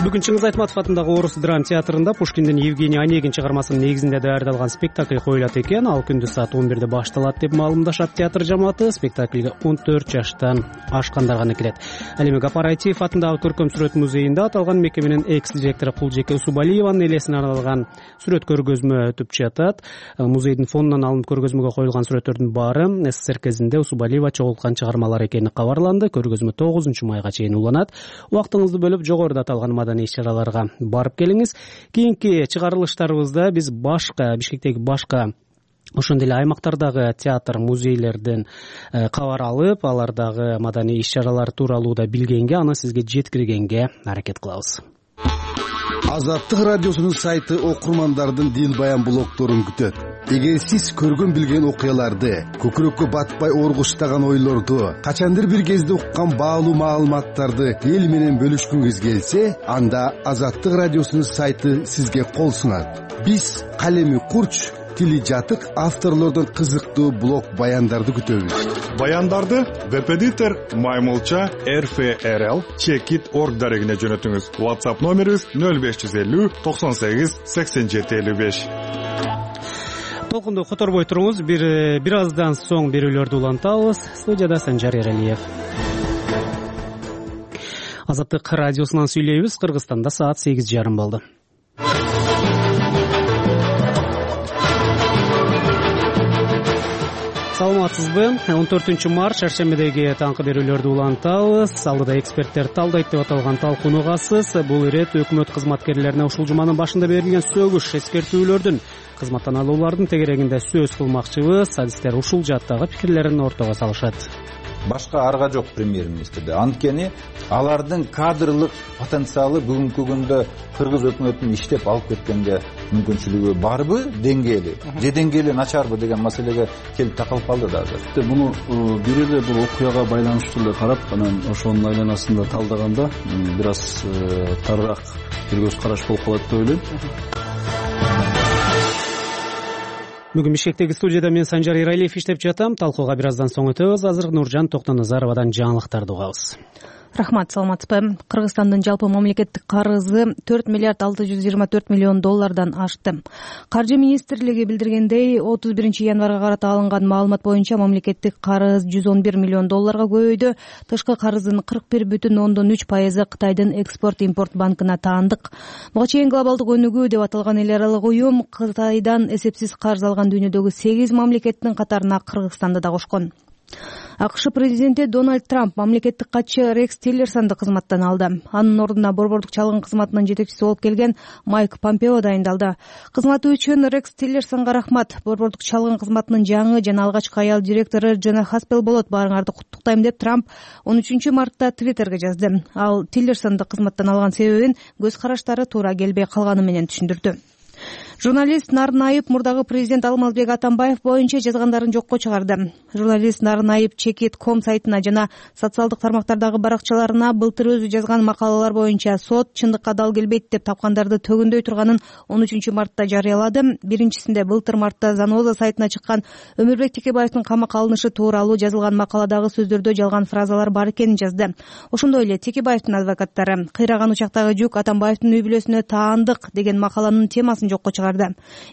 [SPEAKER 1] Бүгүн Чыңгыз Айтматов атындагы Орус драма театрында Пушкиндин Евгений Онегин чыгармасынын негизинде даярдалган спектакль коюлат экен. Ал күндүз саат он бирде башталат деп маалымдашат театр жамааты. Спектакльге он төрт жаштан ашкандар гана кирет. Ал эми Гапар Айтиев атындагы көркөм сүрөт музейинде аталган мекеменин экс-директору Кулжеке Усубалиеванын элесине арналган сүрөт көргөзмө өтүп жатат. Музейдин фондунан алынып көргөзмөгө коюлган сүрөттөрдүн баары СССР кезинде Усубалиева чогулткан чыгармалар экени кабарланды. Көргөзмө тогузунчу майга чейин уланат. Убактыңызды бөлүп жогоруда аталган маданий иш-чараларга барып келиңиз. Кийинки чыгарылыштарыбызда биз башка Бишкектеги башка ошондой эле аймактардагы театр, музейлерден кабар алып, алардагы маданий иш-чаралар тууралуу да билгенге, аны сизге жеткиргенге аракет кылабыз.
[SPEAKER 19] Азаттык радиосунун сайты окурмандардын дил баян блогторун күтөт. Эгер сиз көргөн билген окуяларды, көкүрөккө батпай оргуштаган ойлорду, качандыр бир кезде уккан баалуу маалыматтарды эл менен бөлүшкүңүз келсе, анда Азаттык радиосунун сайты сизге кол сунат. Биз калеми курч, тили жатык авторлордун кызыктуу блог баяндарды күтөбүз.
[SPEAKER 13] Баяндарды Веб-эдитор Маймылча эр эф эр эл чекит точка орг дарегине жөнөтүңүз. WhatsApp номерибиз нөл беш жүз элүү токсон сегиз сексен жети элүү беш.
[SPEAKER 1] Толкунду которбой туруңуз. Бир бир аздан соң берүүлөрдү улантабыз. Студияда Санжар Эралиев. Азаттык радиосунан сүйлөйбүз. Кыргызстанда саат сегиз жарым болду. Саламатсызбы? он төртүнчү март шаршембидеги таңкы берүүлөрдү улантабыз. Алдыда эксперттер талдайт деп аталган талкууну угасыз. Бул ирет өкмөт кызматкерлерине ушул жуманын башында берилген сөгүш эскертүүлөрдүн кызматтан алуулардын тегерегинде сөз кылмакчыбыз. Адистер ушул жаттагы пикирлерин ортого салышат.
[SPEAKER 20] Башка арга жок премьер-министрде. Анткени алардын кадрлык потенциалы бүгүнкү күндө кыргыз өкмөтүнүн иштеп алып кеткенге мүмкүнчүлүгү барбы, деңгээли же деңгээли начарбы деген маселеге келип такалып калды да азыр.
[SPEAKER 21] Муну бир эле бул окуяга байланыштуу эле карап, анан ошонун айланасында талдаганда бир аз тарыраак бир көз караш болуп калат деп ойлойм.
[SPEAKER 1] Бүгүн Бишкектеги студияда мен Санжар Эралиев иштеп жатам. Талкууга бир аздан соң өтөбүз. Азыр Нуржан Токтоназаровадан жаңылыктарды угабыз.
[SPEAKER 5] Рахмат, саламатсызбы? Кыргызстандын жалпы мамлекеттик карызы төрт миллиард алты жүз жыйырма төрт миллион доллардан ашты. Каржы министрлиги билдиргендей, отуз биринчи январга карата алынган маалымат боюнча мамлекеттик карыз жүз он бир миллион долларга көбөйдү. Тышкы карыздын кырк бир бүтүн ондон үч пайызы Кытайдын экспорт-импорт банкына таандык. Буга чейин глобалдык өнүгүү деп аталган эл аралык уюм Кытайдан эсепсиз карыз алган дүйнөдөгү сегиз мамлекеттин катарына Кыргызстанды да кошкон. АКШ президенти Дональд Трамп мамлекеттик катчы Рекс Тиллерсонду кызматтан алды. Анын ордуна борбордук чалгын кызматынын жетекчиси болуп келген Майк Помпео дайындалды. Кызматы үчүн Рекс Тиллерсонго рахмат. Борбордук чалгын кызматынын жаңы жана алгачкы аял директору Жана Хаспел болот. Баарыңарды куттуктайм деп Трамп он үчүнчү мартта Твиттерге жазды. Ал Тиллерсонду кызматтан алган себебин көз караштары туура келбей калганы менен түшүндүрдү. Журналист Нарынайып мурдагы президент Алмазбек Атамбаев боюнча жазгандарын жокко чыгарды. Журналист Нарынайып чекит точка ком сайтына жана социалдык тармактардагы баракчаларына былтыр өзү жазган макалалар боюнча сот чындыкка дал келбейт деп тапкандарды төгүндөй турганын он үчүнчү мартта жарыялады. Биринчисинде былтыр мартта Заноза сайтына чыккан Өмүрбек Текебаевдин камакка алынышы тууралуу жазылган макаладагы сөздөрдө жалган фразалар бар экенин жазды. Ошондой эле Текебаевдин адвокаттары кыйраган учактагы жүк Атамбаевдин үй бүлөсүнө таандык деген макаланын темасын жокко чыгарды.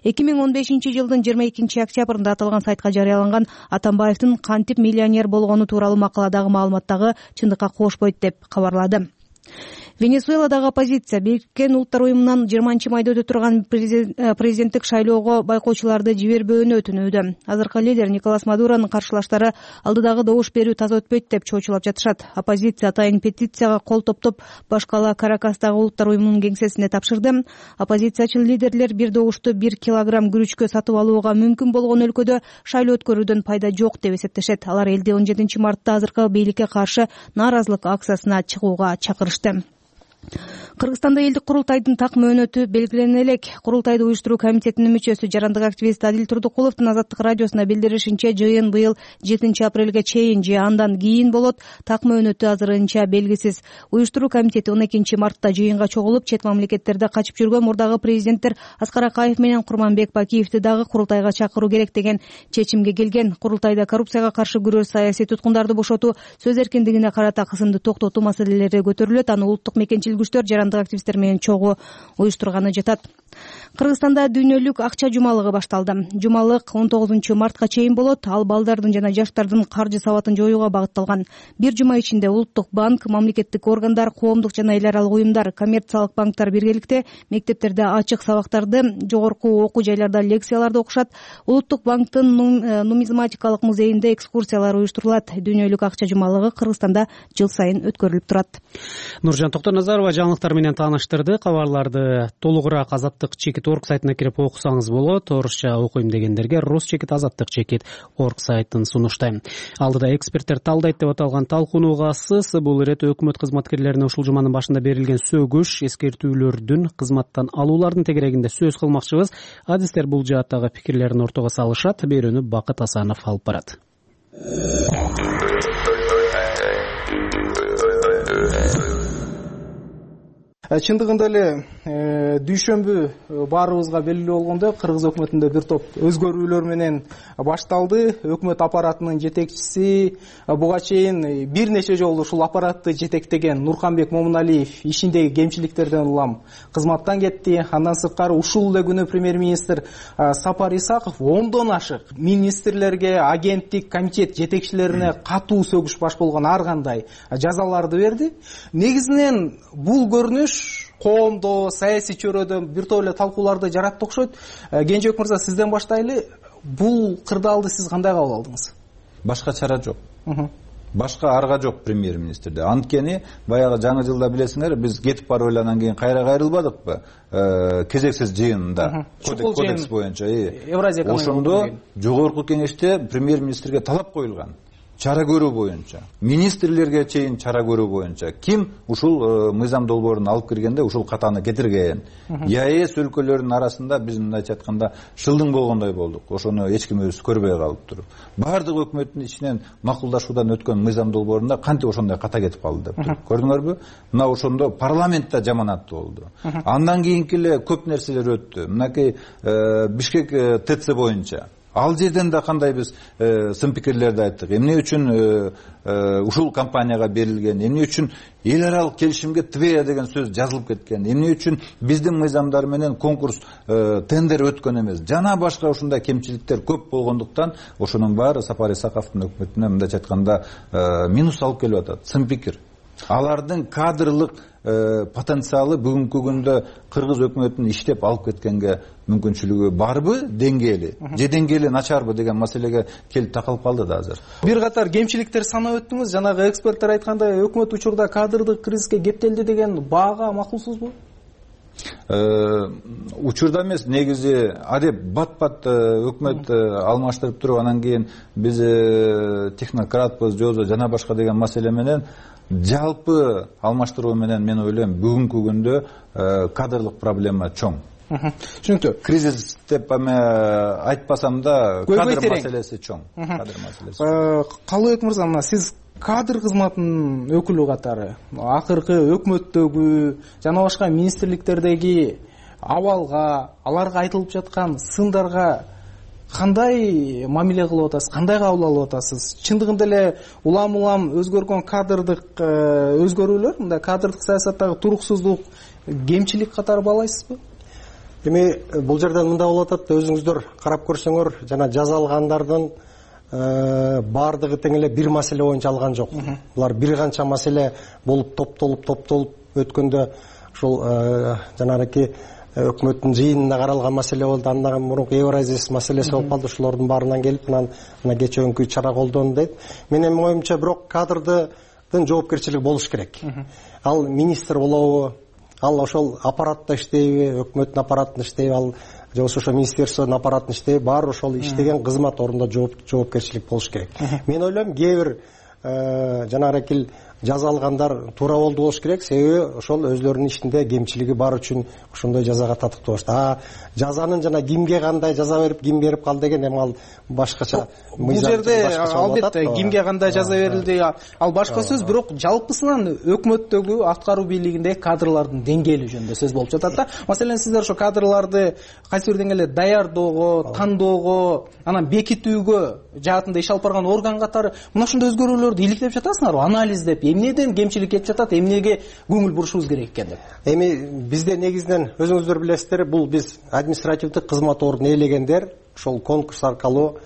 [SPEAKER 5] эки миң он бешинчи жылдын жыйырма экинчи октябрында аталган сайтка жарыяланган Атамбаевдин кантип миллионер болгону тууралуу макаладагы маалыматтагы чындыкка кошпойт деп кабарлады. Венесуэладагы оппозиция Бириккен Улуттар уюмунан жыйырманчы майда өтө турган президенттик шайлоого байкоочуларды жибербөөнү өтүнүүдө. Азыркы лидер Николас Мадуронун каршылаштары алдыдагы добуш берүү таза өтпөйт деп чоочулап жатышат. Оппозиция атайын петицияга кол топтоп башкала Каракастагы Улуттар уюмунун кеңсесине тапшырды. Оппозициячыл лидерлер бир добушту бир килограмм күрүчкө сатып алууга мүмкүн болгон өлкөдө шайлоо өткөрүүдөн пайда жок деп эсептешет. Алар элди он жетинчи мартта азыркы бийликке каршы нааразылык акциясына чыгууга чакырышты. Кыргызстанда элдик курултайдын так мөөнөтү белгилене элек. Курултайды уюштуруу комитетинин мүчөсү жарандык активист Адил Турдукуловдун Азаттык радиосуна билдиришинче, жыйын быйыл жетинчи апрелге чейин же андан кийин болот. Так мөөнөтү азырынча белгисиз. Уюштуруу комитети он экинчи мартта жыйынга чогулуп, чет мамлекеттерде качып жүргөн мурдагы президенттер Аскар Акаев менен Курманбек Бакиевди дагы курултайга чакыруу керек деген чечимге келген. Курултайда коррупцияга каршы күрөш, саясий туткундарды бошотуу, сөз эркиндигине карата кысымды токтотуу маселелери көтөрүлөт. Аны улуттук мекенчилик күчтөр жарандык коомдук активисттер менен чогуу уюштурганы жатат. Кыргызстанда дүйнөлүк акча жумалыгы башталды. Жумалык он тогузунчу мартка чейин болот. Ал балдардын жана жаштардын каржы сабатын жоюуга багытталган. Бир жума ичинде Улуттук банк, мамлекеттик органдар, коомдук жана эл аралык уюмдар, коммерциялык банктар биргеликте мектептерде ачык сабактарды, жогорку окуу жайларда лекцияларды окушат. Улуттук банктын нумизматикалык музейинде экскурсиялар уюштурулат. Дүйнөлүк акча жумалыгы Кыргызстанда жыл сайын өткөрүлүп турат.
[SPEAKER 1] Нуржан Токтоназарова жаңылыктар менен тааныштырды. Кабарларды толугураак азаттык чекит орг сайтына кирип окусаңыз болот. Орусча окуйм дегендерге рус чекит азаттык чекит орг сайтын сунуштайм. Алдыда эксперттер талдайт деп аталган талкуунууга ысыс. Бул ирет өкмөт кызматкерлерине ушул жуманын башында берилген сөгүш, эскертүүлөрдүн кызматтан алуулардын тегерегинде сөз кылмакчыбыз. Адистер бул жааттагы пикирлерин ортого салышат. Берүүнү Бакыт Асанов алып барат.
[SPEAKER 6] Чындыгында эле дүйшөмбү баарыбызга белгилүү болгондой кыргыз өкмөтүндө бир топ өзгөрүүлөр менен башталды. Өкмөт аппаратынын жетекчиси буга чейин бир нече жолу ушул аппаратты жетектеген Нурканбек Момуналиев ишиндеги кемчиликтерден улам кызматтан кетти. Андан сырткары ушул эле күнү премьер-министр Сапар Исаков ондон ашык министрлерге, агенттик, комитет жетекчилерине катуу сөгүш баш болгон ар кандай жазаларды берди. Негизинен бул көрүнүш коомдо, саясий чөйрөдө бир топ эле талкууларды жаратты окшойт. Кенжебек мырза, сизден баштайлы. Бул кырдаалды сиз кандай кабыл алдыңыз?
[SPEAKER 20] Башка чара жок. Башка арга жок премьер-министрде. Анткени баягы жаңы жылда билесиңер, биз кетип барып эле анан кийин кайра кайрылбадыкпы? Кезексиз жыйында, кодекс боюнча. Ошондо жогорку кеңеште премьер-министрге талап коюлган. Чара көрүү боюнча, министрлерге чейин чара көрүү боюнча ким ушул мыйзам долбоорун алып киргенде ушул катаны кетирген. ЕАЭС өлкөлөрүнүн арасында биз мындайча айтканда шылдың болгондой болдук. Ошону эч ким өзү көрбөй калыптыр. Бардык өкмөттүн ичинен макулдашуудан өткөн мыйзам долбоорунда кантип ошондой ката кетип калды деп. Көрдүңөрбү? Мына ошондо парламентте жаманат болду. Андан кийинки эле көп нерселер өттү. Мынакей Бишкек ТЦ боюнча ал жерден да кандай биз сын пикирлерди айттык. Эмне үчүн ушул компанияга берилген, эмне үчүн эл аралык келишимге Твея деген сөз жазылып кеткен, эмне үчүн биздин мыйзамдар менен конкурс тендер өткөн эмес. Жана башка ушундай кемчиликтер көп болгондуктан ошонун баары Сапар Исаковдун өкмөтүнө мындайча айтканда минус алып келип атат. Сын пикир. Алардын кадрлык потенциалы бүгүнкү күндө кыргыз өкмөтүнүн иштеп алып кеткенге мүмкүнчүлүгү барбы, деңгээли же деңгээли начарбы деген маселеге келип такалып калды да азыр.
[SPEAKER 6] Бир катар кемчиликтер санап өттүңүз. Жанагы эксперттер айткандай өкмөт учурда кадрдык кризиске кептелди деген баага макулсузбу?
[SPEAKER 20] Учурда эмес, негизи адеп бат-бат өкмөт алмаштырып туруп анан кийин биз технократпыз, жозо жана башка деген маселе менен жалпы алмаштыруу менен мен ойлойм бүгүнкү күндө кадрлык проблема чоң.
[SPEAKER 6] Түшүнүктүү.
[SPEAKER 20] Кризис деп айтпасам да кадр маселеси чоң. Кадр маселеси.
[SPEAKER 6] Калыбек мырза, мына сиз кадр кызматынын өкүлү катары акыркы өкмөттөгү жана башка министрликтердеги абалга, аларга айтылып жаткан сындарга кандай мамиле кылып атасыз, кандай кабыл алып атасыз? Чындыгында эле улам-улам өзгөргөн кадрдык өзгөрүүлөр, мындай кадрдык саясаттагы туруксуздук, кемчилик катары баалайсызбы?
[SPEAKER 22] Эми бул жерден мындай болуп атат, өзүңүздөр карап көрсөңөр, жана жаза алгандардын баардыгы тең эле бир маселе боюнча алган жок. Булар бир канча маселе болуп топтолуп топтолуп өткөндө ушул жанагы өкмөттүн жыйынында каралган маселе болду. Андан мурунку Евразис маселеси болуп калды. Ушулордун баарынан келип анан мына кечээкү чара колдонду дейт. Менин оюмча бирок кадрдын жоопкерчилиги болуш керек. Ал министр болобу, ал ошол аппаратта иштейби, өкмөттүн аппаратында иштейби, ал же болбосо ошо министерствонун аппаратында иштейби, баары ошол иштеген кызмат ордунда жоопкерчилик болуш керек. Мен ойлойм, кээ бир жанагы жаза алгандар туура болду болуш керек, себеби ошол өзлөрүнүн ишинде кемчилиги бар үчүн ошондой жазага татыктуу болушту. А жазанын жана кимге кандай жаза берип, ким берип калды деген эми ал башкача.
[SPEAKER 6] Бул жерде албетте кимге кандай жаза берилди, ал башка сөз, бирок жалпысынан өкмөттөгү аткаруу бийлигиндеги кадрлардын деңгээли жөнүндө сөз болуп жатат да. Маселен, сиздер ошо кадрларды кайсы бир деңгээлде даярдоого, тандоого, анан бекитүүгө жаатында иш алып барган орган катары мына ушундай өзгөрүүлөрдү иликтеп жатасыңарбы, анализдеп, эмнеден кемчилик кетип жатат, эмнеге көңүл бурушубуз керек экен деп?
[SPEAKER 22] Эми бизде негизинен өзүңүздөр билесиздер, бул биз административдик кызмат ордун ээлегендер ошол конкурс аркылуу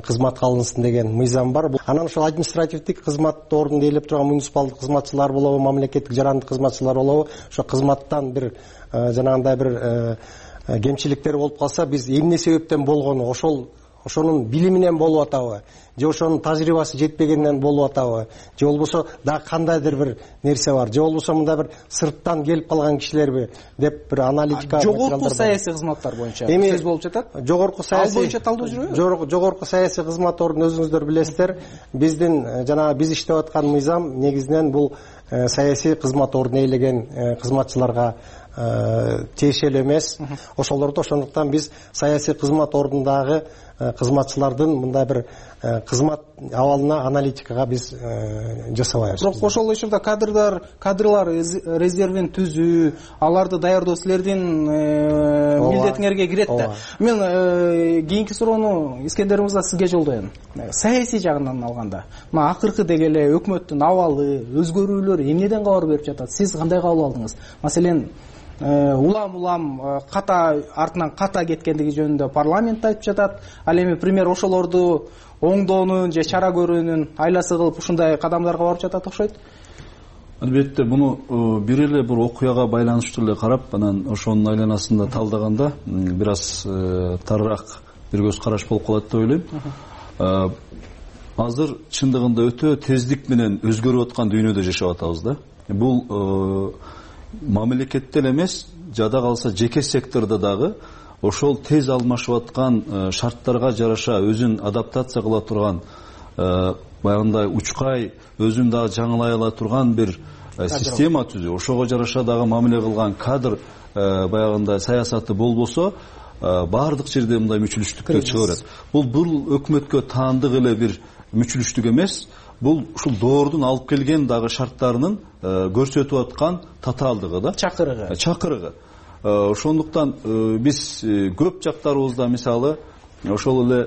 [SPEAKER 22] кызматка алынсын деген мыйзам бар. Анан ошол административдик кызмат ордун ээлеп турган муниципалдык кызматчылар болобу, мамлекеттик жарандык кызматчылар болобу, ошо кызматтан бир жанагындай бир кемчиликтер болуп калса, биз эмне себептен болгону, ошол ошонун билиминен болуп атабы, же ошонун тажрыйбасы жетпегенден болуп атабы, же болбосо дагы кандайдыр бир нерсе бар, же болбосо мындай бир сырттан келип калган кишилерби деп бир аналитика.
[SPEAKER 6] Жогорку саясий кызматтар боюнча сөз болуп жатат.
[SPEAKER 22] Жогорку саясий,
[SPEAKER 6] ал боюнча талдоо жүрөбү?
[SPEAKER 22] Жогорку саясий кызмат ордун өзүңүздөр билесиздер, биздин жанагы биз иштеп аткан мыйзам негизинен бул саясий кызмат ордун ээлеген кызматчыларга тиешелүү эмес. Ошолорду ошондуктан биз саясий кызмат ордундагы кызматчылардын мындай бир кызмат абалына, аналитикага биз жасабайбыз.
[SPEAKER 6] Бирок ошол учурда кадрдар кадрлар резервин түзүү, аларды даярдоо силердин милдетиңерге кирет да. Мен кийинки суроону Искендер мырза сизге жолдойм. Саясий жагынан алганда, мына акыркы деги эле өкмөттүн абалы, өзгөрүүлөр эмнеден кабар берип жатат? Сиз кандай кабыл алдыңыз? Маселен, улам улам ката артынан ката кеткендиги жөнүндө парламент айтып жатат. Ал эми премьер ошолорду оңдоонун же чара көрүүнүн айласы кылып ушундай кадамдарга барып жатат окшойт.
[SPEAKER 21] Албетте муну бир эле бир окуяга байланыштуу эле карап, анан ошонун айланасында талдаганда бир аз тарыраак бир көз караш болуп калат деп ойлойм. Азыр чындыгында өтө тездик менен өзгөрүп аткан дүйнөдө жашап атабыз да. Бул мамлекетте эле эмес, жада калса жеке сектордо дагы ошол тез алмашып аткан шарттарга жараша өзүн адаптация кыла турган, баягындай учкай өзүн дагы жаңылай ала турган бир система түзүү, ошого жараша дагы мамиле кылган кадр баягындай саясаты болбосо, баардык жерде мындай мүчүлүштүктөр чыга берет. Бул бул өкмөткө таандык эле бир мүчүлүштүк эмес, бул ушул доордун алып келген дагы шарттарынын көрсөтүп аткан татаалдыгы да,
[SPEAKER 6] чакырыгы.
[SPEAKER 21] Чакырыгы. Ошондуктан биз көп жактарыбызда мисалы ошол эле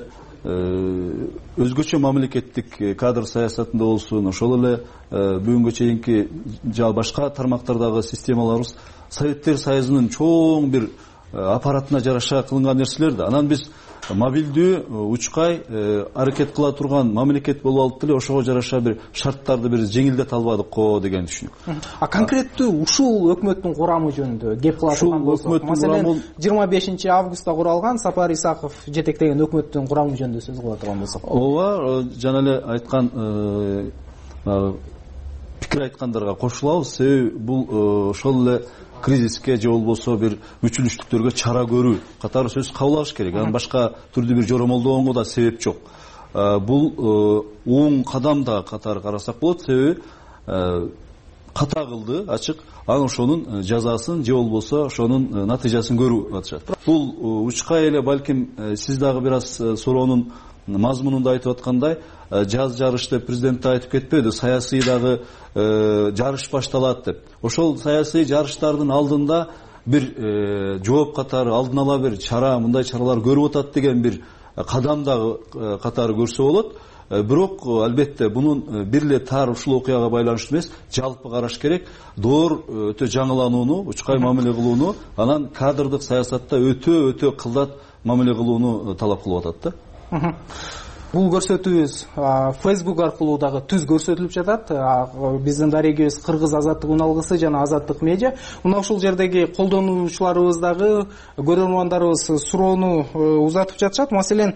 [SPEAKER 21] өзгөчө мамлекеттик кадр саясатында болсун, ошол эле бүгүнгө чейинки жа башка тармактардагы системаларыбыз Советтер Союзунун чоң бир аппаратына жараша кылынган нерселер да. Анан биз мобилдүү, учкай аракет кыла турган мамлекет болуп алып деле ошого жараша бир шарттарды бир жеңилдете албадык го деген түшүнүк.
[SPEAKER 6] А конкреттүү ушул өкмөттүн курамы жөнүндө кеп кыла турган болсок, маселен жыйырма бешинчи августта куралган Сапар Исаков жетектеген өкмөттүн курамы жөнүндө сөз кыла турган болсок.
[SPEAKER 21] Ооба, жана эле айткан пикир айткандарга кошулабыз. Себеби бул ошол эле кризиске же болбосо бир мүчүлүштүктөргө чара көрүү катары сөз кабыл алыш керек. Анан башка түрдүү бир жоромолдогонго да себеп жок. Бул оң кадам да катары карасак болот. Себеби ката кылды, ачык. Анан ошонун жазасын же болбосо ошонун натыйжасын көрүп атышат. Бул учкай эле балким сиз дагы бир аз суроонун мазмунунда айтып аткандай, жаз жарыш деп президент да айтып кетпеди, саясий дагы жарыш башталат деп. Ошол саясий жарыштардын алдында бир жооп катары алдын ала бир чара, мындай чаралар көрүп атат деген бир кадам дагы катары көрсө болот. Бирок албетте бунун бир эле тар ушул окуяга байланыштуу эмес, жалпы караш керек. Доор өтө жаңыланууну, учкай мамиле кылууну, анан кадрдык саясатта өтө өтө кылдат мамиле кылууну талап кылып атат да.
[SPEAKER 6] Бул көрсөтүүбүз Facebook аркылуу дагы түз көрсөтүлүп жатат. Биздин дарегибиз Кыргыз азаттык уналгысы жана Азаттык медиа. Мына ушул жердеги колдонуучуларыбыз дагы, көрөрмандарыбыз суроону узатып жатышат. Маселен,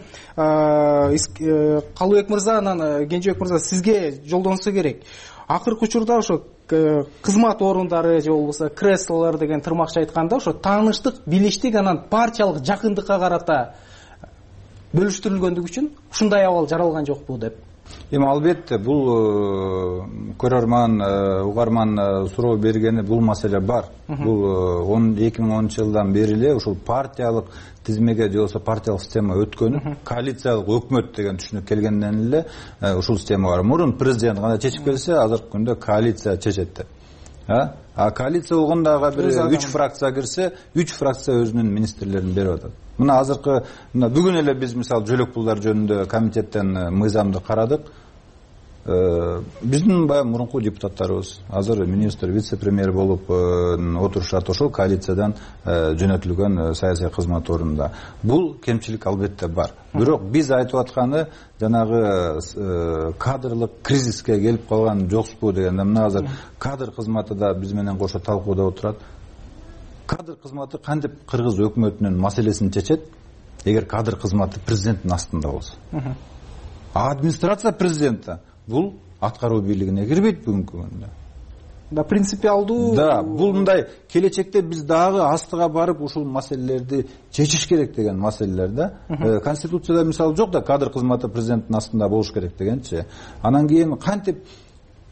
[SPEAKER 6] Калыбек мырза, анан Кенжебек мырза, сизге жолдонсо керек. Акыркы учурда ошо кызмат орундары же болбосо креслолор деген тырмакча айтканда, ошо тааныштык, билиштик, анан партиялык жакындыкка карата бөлүштүрүлгөндүгү үчүн ушундай абал жаралган жокпу деп.
[SPEAKER 20] Эми албетте бул көрөрман, угарман суроо бергени бул маселе бар. Бул эки миң онунчу жылдан бери эле ушул партиялык тизмеге же болбосо партиялык система өткөн, коалициялык өкмөт деген түшүнүк келгенден эле ушул система бар. Мурун президент кандай чечип келсе, азыркы күндө коалиция чечет деп. А коалиция болгондагы бир үч фракция кирсе, үч фракция өзүнүн министрлерин берип атат. Мына азыркы мына бүгүн эле биз мисалы жөлөк пулдар жөнүндө комитеттен мыйзамды карадык. биздин баягы мурунку депутаттарыбыз азыр министр вице премьер болуп отурушат, ошол коалициядан жөнөтүлгөн саясий кызмат ордунда. Бул кемчилик албетте бар. Бирок биз айтып атканы жанагы кадрлык кризиске келип калган жокпу дегенде, мына азыр кадр кызматы да биз менен кошо талкууда отурат. Кадр кызматы кантип кыргыз өкмөтүнүн маселесин чечет? Эгер кадр кызматы президенттин астында болсо. А администрация президента бул аткаруу бийлигине кирбейт бүгүнкү күндө.
[SPEAKER 6] Да, принципиалдуу.
[SPEAKER 20] Да, бул мындай келечекте биз дагы астыга барып ушул маселелерди чечиш керек деген маселелер да. Конституцияда мисалы жок да, кадр кызматы президенттин астында болуш керек дегенчи. Анан кийин кантип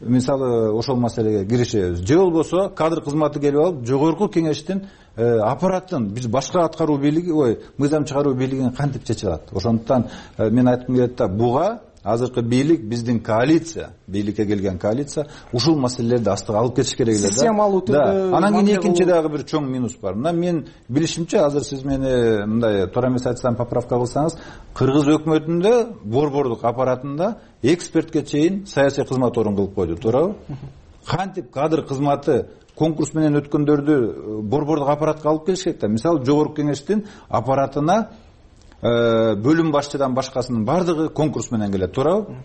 [SPEAKER 20] мисалы ошол маселеге киришебиз? Же болбосо кадр кызматы келип алып, жогорку кеңештин аппаратын биз башка аткаруу бийлиги, ой, мыйзам чыгаруу бийлигин кантип чече алат? Ошондуктан мен айткым келет да, буга азыркы бийлик, биздин коалиция, бийликке келген коалиция ушул маселелерди астыга алып кетиш керек эле да.
[SPEAKER 6] Системалуу түрдө.
[SPEAKER 20] Анан кийин экинчи дагы бир чоң минус бар. Мына мен билишимче, азыр сиз мени мындай туура эмес айтсам поправка кылсаңыз, кыргыз өкмөтүндө борбордук аппаратында экспертке чейин саясий кызмат орун кылып койду, туурабы? Кантип кадр кызматы конкурс менен өткөндөрдү борбордук аппаратка алып келиш керек да. Мисалы жогорку кеңештин аппаратына бөлүм башчыдан башкасынын бардыгы конкурс менен келет, туурабы?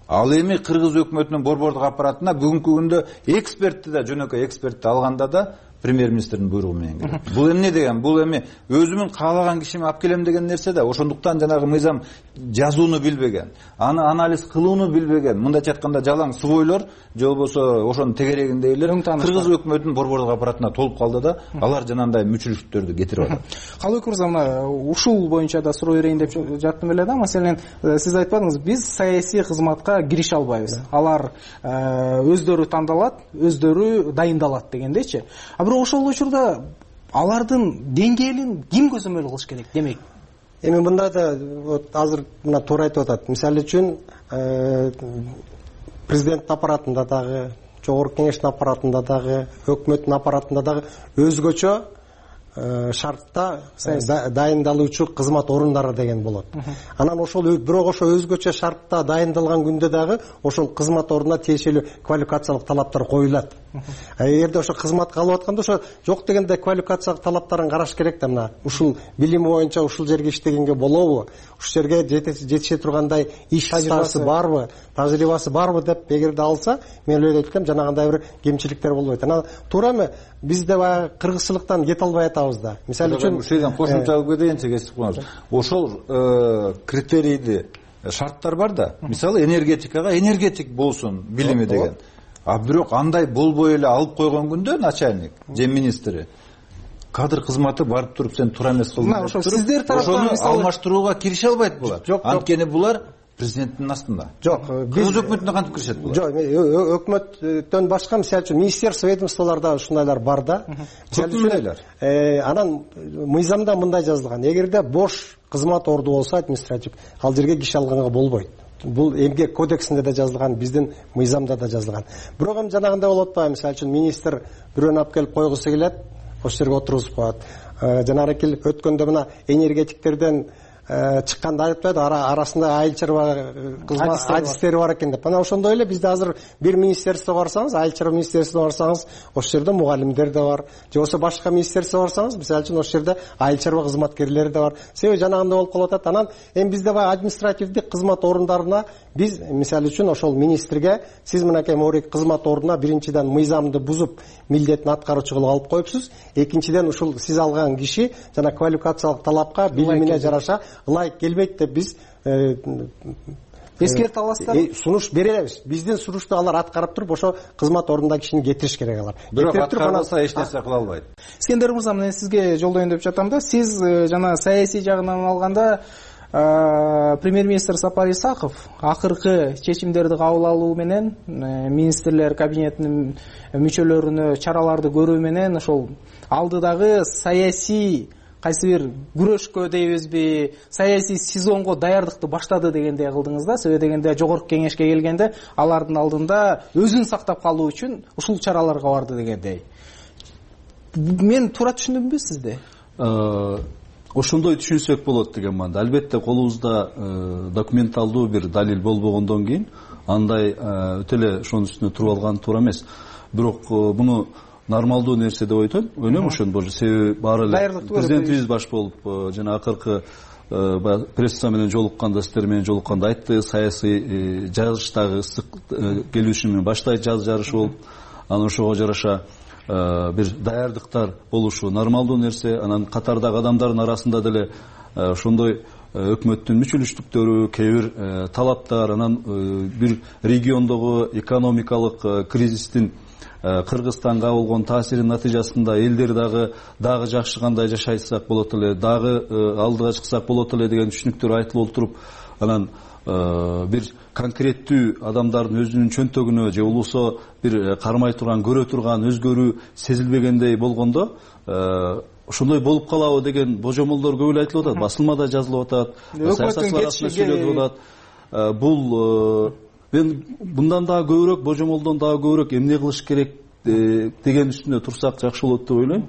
[SPEAKER 20] Ал эми кыргыз өкмөтүнүн борбордук аппаратына бүгүнкү күндө экспертти да, жөнөкөй экспертти алганда да премьер-министрдин буйругу менен келет. Бул эмне деген? Бул эми өзүмүн каалаган кишими алып келем деген нерсе да. Ошондуктан жанагы мыйзам жазууну билбеген, аны анализ кылууну билбеген, мындайча айтканда жалаң субойлор, же болбосо ошонун тегерегиндейлер кыргыз өкмөтүнүн борбордук аппаратына толуп калды да, алар жанагындай мүчүлүктөрдү кетирип атат.
[SPEAKER 6] Калыбек мырза, мына ушул боюнча да суроо берейин деп жаттым эле да. Маселен, сиз айтпадыңыз, биз саясий кызматка кирише албайбыз. Алар өздөрү тандалат, өздөрү дайындалат дегендейчи. А бирок ошол учурда алардын деңгээлин ким көзөмөл кылыш керек демек?
[SPEAKER 22] Эми мында да вот азыр мына туура айтып атат. Мисалы үчүн президенттин аппаратында дагы, жогорку кеңештин аппаратында дагы, өкмөттүн аппаратында дагы өзгөчө шартта дайындалуучу кызмат орундары деген болот. Анан ошол бирок ошо өзгөчө шартта дайындалган күндө дагы ошол кызмат ордуна тиешелүү квалификациялык талаптар коюлат. Эгерде ошо кызматка алып атканда ошо жок дегенде квалификациялык талаптарын караш керек да. Мына ушул билими боюнча ушул жерге иштегенге болобу, ушул жерге жетише тургандай иш тажрыйбасы барбы, тажрыйбасы барбы деп эгерде алса, мен эле айткам, жанагындай бир кемчиликтер болбойт. Анан туура эме биз да баягы кыргызчылыктан кете албай атабыз да. Мисалы үчүн
[SPEAKER 20] ушул жерден кошумча кетейинчи, кесип коюңуз. Ошол критерийди, шарттар бар да. Мисалы энергетикага энергетик болсун билими деген. А бирок андай болбой эле алып койгон күндө начальник же министри кадр кызматы барып туруп сен туура эмес кылдың.
[SPEAKER 6] Мына ошо сиздер тараптан
[SPEAKER 20] алмаштырууга кирише албайт булар. Анткени булар президенттин астында.
[SPEAKER 22] Жок,
[SPEAKER 20] биз өкмөтүнө кантип киришет булар?
[SPEAKER 22] Жок, өкмөттөн башка, мисалы үчүн министерство, ведомстволордо ушундайлар бар да. Анан мыйзамда мындай жазылган: эгерде бош кызмат орду болсо административ, ал жерге киши алганга болбойт. Бул эмгек кодексинде да жазылган, биздин мыйзамда да жазылган. Бирок эми жанагындай болот атпайбы? Мисалы үчүн министр бирөөнү алып келип койгусу келет, ошол жерге отургузуп коет. Жанагы келип өткөндө мына энергетиктерден чыкканда айтпайды, арасында айыл чарба адистери бар экен деп. Анан ошондой эле бизде азыр бир министерствого барсаңыз, айыл чарба министерствосуна барсаңыз, ошол жерде мугалимдер да бар. Же болбосо башка министерствого барсаңыз, мисалы үчүн ошол жерде айыл чарба кызматкерлери да бар. Себеби жанагындай болуп калып атат. Анан эми бизде баягы административдик кызмат орундарына биз мисалы үчүн ошол министрге сиз мынакей моорик кызмат ордуна биринчиден мыйзамды бузуп милдетин аткаруучу кылып алып коюпсуз. Экинчиден ушул сиз алган киши жана квалификациялык талапка, билимине жараша ылайык келбейт деп биз эскерте аласыздар. Сунуш беребиз. Биздин сунушту алар аткарып туруп, ошо кызмат ордундагы кишини кетириш керек алар.
[SPEAKER 20] Бирок аткарбаса эч нерсе кыла албайт.
[SPEAKER 6] Искендер мырза, мен сизге жолдоюн деп жатам да. Сиз жана саясий жагынан алганда премьер-министр Сапар Исаков акыркы чечимдерди кабыл алуу менен, министрлер кабинетинин мүчөлөрүнө чараларды көрүү менен ошол алдыдагы саясий кайсы бир күрөшкө дейбизби, саясий сезонго даярдыкты баштады дегендей кылдыңыз да. Себеби дегенде жогорку кеңешке келгенде алардын алдында өзүн сактап калуу үчүн ушул чараларга барды дегендей. Мен туура түшүндүмбү сизди?
[SPEAKER 21] Ошондой түшүнсөк болот деген маанда. Албетте колубузда документалдуу бир далил болбогондон кийин андай өтө эле ошонун үстүнө туруп алган туура эмес. Бирок муну нормалдуу нерсе деп ойнойм. Ойнойм ошону. Себеби баары эле президентибиз баш болуп жана акыркы пресса менен жолукканда, сиздер менен жолукканда айтты, саясий жарыштагы ысык келишим менен баштайт жаз жарышы болуп, анан ошого жараша бир даярдыктар болушу нормалдуу нерсе. Анан катардагы адамдардын арасында деле ошондой өкмөттүн мүчөлүштүктөрү, кээ бир талаптар, анан бир региондогу экономикалык кризистин Кыргызстанга болгон таасиринин натыйжасында элдер дагы дагы жакшы кандай жашайсак болот эле, дагы алдыга чыксак болот эле деген түшүнүктөр айтылып отуруп, анан бир конкреттүү адамдардын өзүнүн чөнтөгүнө же болбосо бир кармай турган, көрө турган өзгөрүү сезилбегендей болгондо ошондой болуп калабы деген божомолдор көп эле айтылып атат, басылмада жазылып атат, саясатчылар арасында сүйлөнүп атат. Бул мен мындан дагы көбүрөөк, божомолдон дагы көбүрөөк эмне кылыш керек деген үстүнө турсак жакшы болот деп ойлойм.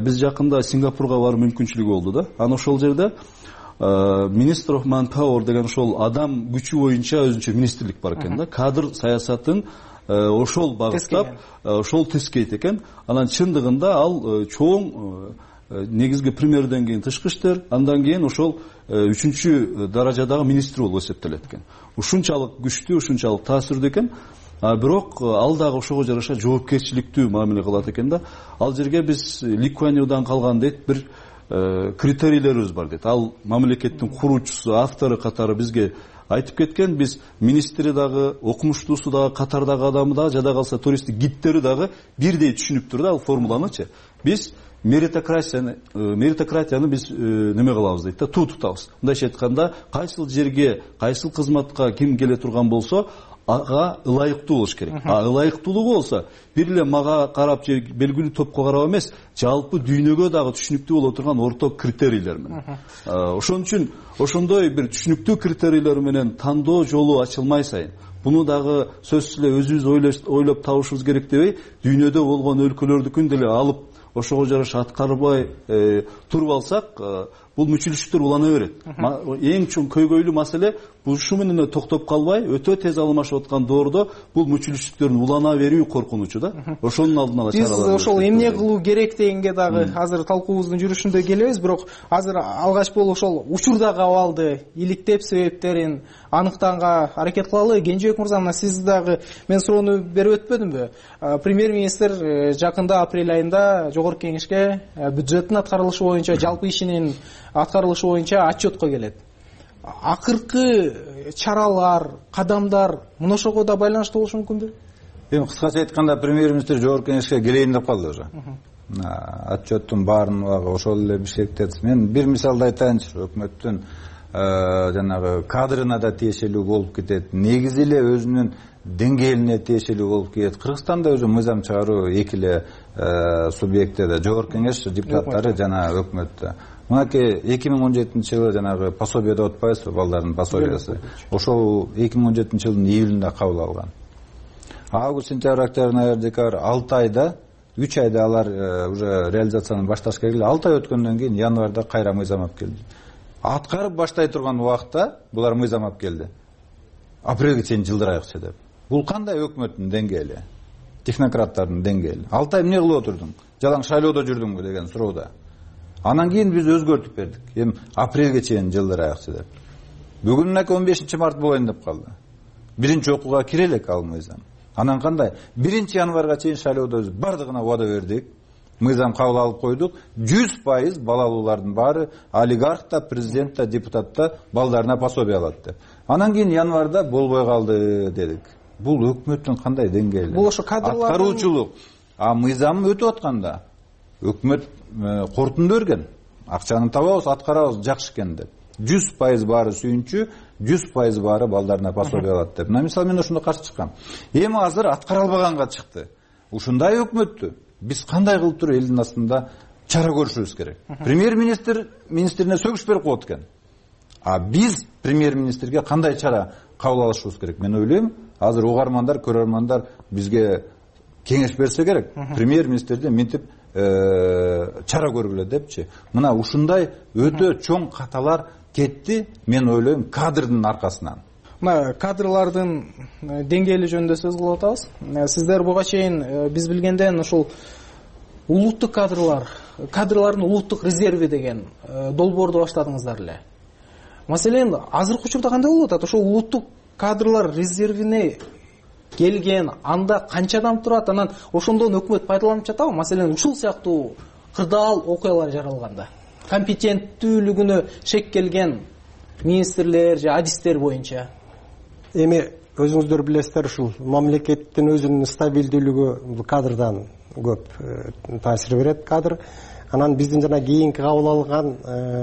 [SPEAKER 21] Биз жакында Сингапурга баруу мүмкүнчүлүгү болду да. Анан ошол жерде Minister of Manpower деген ошол адам күчү боюнча өзүнчө министрлик бар экен да. Кадр саясатын ошол багыттап, ошол тескейт экен. Анан чындыгында ал чоң негизги премьерден кийин тышкы иштер, андан кийин ошол үчүнчү даражадагы министр болуп эсептелет экен. Ушунчалык күчтүү, ушунчалык таасирдүү экен. Бирок ал дагы ошого жараша жоопкерчиликтүү мамиле кылат экен да. Ал жерге биз Ли Куан Юдан калган дейт бир критерийлерибиз бар дейт. Ал мамлекеттин куруучусу, автору катары бизге айтып кеткен. Биз министри дагы, окумуштуусу дагы, катардагы адамы дагы, жада калса туристтик гидтери дагы бирдей түшүнүп да ал формуланычы. Биз меритократияны меритократияны биз неме кылабыз дейт да, туу тутабыз. Мындайча айтканда, кайсыл жерге, кайсыл кызматка ким келе турган болсо, ага ылайыктуу болуш керек. А ылайыктуулугу болсо, бир эле мага карап же белгилүү топко карап эмес, жалпы дүйнөгө дагы түшүнүктүү боло турган орток критерийлер менен. Ошон үчүн ошондой бир түшүнүктүү критерийлер менен тандоо жолу ачылмай сайын, буну дагы сөзсүз эле өзүбүз ойлоп табышыбыз керек дебей, дүйнөдө болгон өлкөлөрдүкүн деле алып ошого жараша аткарбай туруп алсак, бул мүчүлүштүктөр улана берет. Эң чоң көйгөйлүү маселе ушу менен токтоп калбай, өтө тез алмашып аткан доордо бул мүчүлүштүктөрдүн улана берүү коркунучу да. Ошонун алдын ала чаралар.
[SPEAKER 6] Биз ошол эмне кылуу керек дегенге дагы азыр талкуубуздун жүрүшүндө келебиз, бирок азыр алгач болуп ошол учурдагы абалды, иликтеп себептерин аныктаганга аракет кылалы. Кенжебек мырза, мына сиз дагы мен суроону берип өтпөдүмбү? Премьер-министр жакында апрель айында жогорку кеңешке бюджеттин аткарылышы боюнча, жалпы ишинин аткарылышы боюнча отчетко келет. Акыркы чаралар, кадамдар мына ошого да байланыштуу болушу мүмкүнбү?
[SPEAKER 20] Эми кыскача айтканда, премьер-министр жогорку кеңешке келейин деп калды уже. Отчеттун баарын ошол эле Бишкекте. Мен бир мисалды айтайынчы. Өкмөттүн жанагы кадрына да тиешелүү болуп кетет. Негизи эле өзүнүн деңгээлине тиешелүү болуп кетет. Кыргызстанда өзү мыйзам чыгаруу эки эле субъектте, жогорку кеңеш депутаттары жана өкмөттө. Мынакей эки миң он жетинчи жылы жанагы пособие деп атпайбызбы, балдардын пособиясы. Ошол эки миң он жетинчи жылдын июлунда кабыл алган. Август, сентябрь, октябрь, ноябрь, декабрь алты айда, үч айда алар уже реализацияны башташ керек эле. алты ай өткөндөн кийин январда кайра мыйзам алып келди. Аткарып баштай турган убакта булар мыйзам алып келди. Апрелге чейин жылдырайыкчы деп. Бул кандай өкмөттүн деңгээли? Технократтардын деңгээли. алты ай эмне кылып отурдуң? Жалаң шайлоодо жүрдүңбү деген суроодо. Анан кийин биз өзгөртүп бердик. Эми апрелге чейин жылдырайыкчы деп. Бүгүн мынакей он бешинчи март болоюн деп калды. Биринчи окууга кире элек ал мыйзам. Анан кандай? биринчи январга чейин шайлоодо биз бардыгына убада бердик. Мыйзам кабыл алып койдук. жүз пайыз балалуулардын баары, олигарх да, президент да, депутат да балдарына пособие алат деп. Анан кийин январда болбой калды дедик. Бул өкмөттүн кандай деңгээли?
[SPEAKER 6] Бул ошо кадрлар
[SPEAKER 20] аткаруучулук. А мыйзам өтүп атканда өкмөт корутунду берген. Акчаны табабыз, аткарабыз, жакшы экен деп. жүз пайыз баары сүйүнчү, жүз пайыз баары балдарына пособие алат деп. Мына мисалы мен ошондо каршы чыккам. Эми азыр аткара албаганга чыкты. Ушундай өкмөттү биз кандай кылып туруп элдин астында чара көрүшүбүз керек. Премьер-министр министрине сөгүш берип коет экен. А биз премьер-министрге кандай чара кабыл алышыбыз керек? Мен ойлойм, азыр угармандар, көрөрмандар бизге кеңеш берсе керек. Премьер-министрден мынтип чара көргүлө депчи. Мына ушундай өтө чоң каталар кетти, мен ойлойм, кадрдын аркасынан.
[SPEAKER 6] мына кадрлардын деңгээли жөнүндө сөз кылып атабыз. Сиздер буга чейин биз билгенден ушул улуттук кадрлар, кадрлардын улуттук резерви деген долбоорду баштадыңыздар эле. Маселен, азыркы учурда кандай болуп атат? Ошол улуттук кадрлар резервине келген анда канча адам турат? Анан ошондон өкмөт пайдаланып жатабы? Маселен, ушул сыяктуу кырдаал окуялар жаралганда компетенттүүлүгүнө шек келген министрлер же адистер боюнча.
[SPEAKER 22] Эми өзүңүздөр билесиздер, ушул мамлекеттин өзүнүн стабилдүүлүгү бул кадрдан көп таасир берет. Кадр анан биздин жана кийинки кабыл алган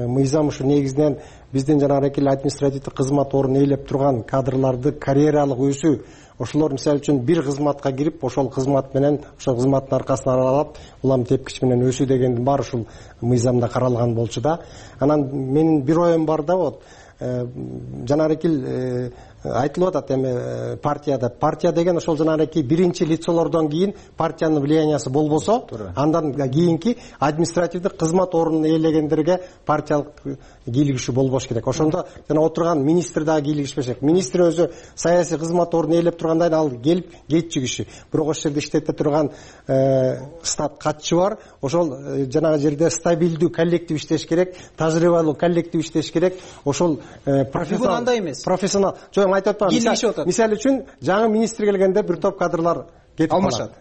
[SPEAKER 22] мыйзам ушу негизинен биздин жанагы эле административдик кызмат ордун ээлеп турган кадрларды карьералык өсүү, ошолор мисалы үчүн бир кызматка кирип, ошол кызмат менен, ошол кызматтын аркасынан аралап, улам тепкич менен өсүү дегендин баары ушул мыйзамда каралган болчу да. Анан менин бир оюм бар да, вот жанагы айтылып атат эми партияда. Партия деген ошол жанагы биринчи лицолордон кийин партиянын влияниясы болбосо, андан кийинки административдик кызмат ордун ээлегендерге партиялык кийлигишүү болбош керек. Ошондо жана отурган министр дагы кийлигишпеш керек. Министр өзү саясий кызмат ордун ээлеп тургандан кийин ал келип кетчү киши. Бирок ошол жерде иштете турган штат катчы бар. Ошол жанагы жерде стабилдүү коллектив иштеш керек, тажрыйбалуу коллектив иштеш керек. Ошол профессионал андай эмес. Профессионал. Жок, айтып атпаймын. Мисалы үчүн жаңы министр келгенде бир топ кадрлар кетип алмашат.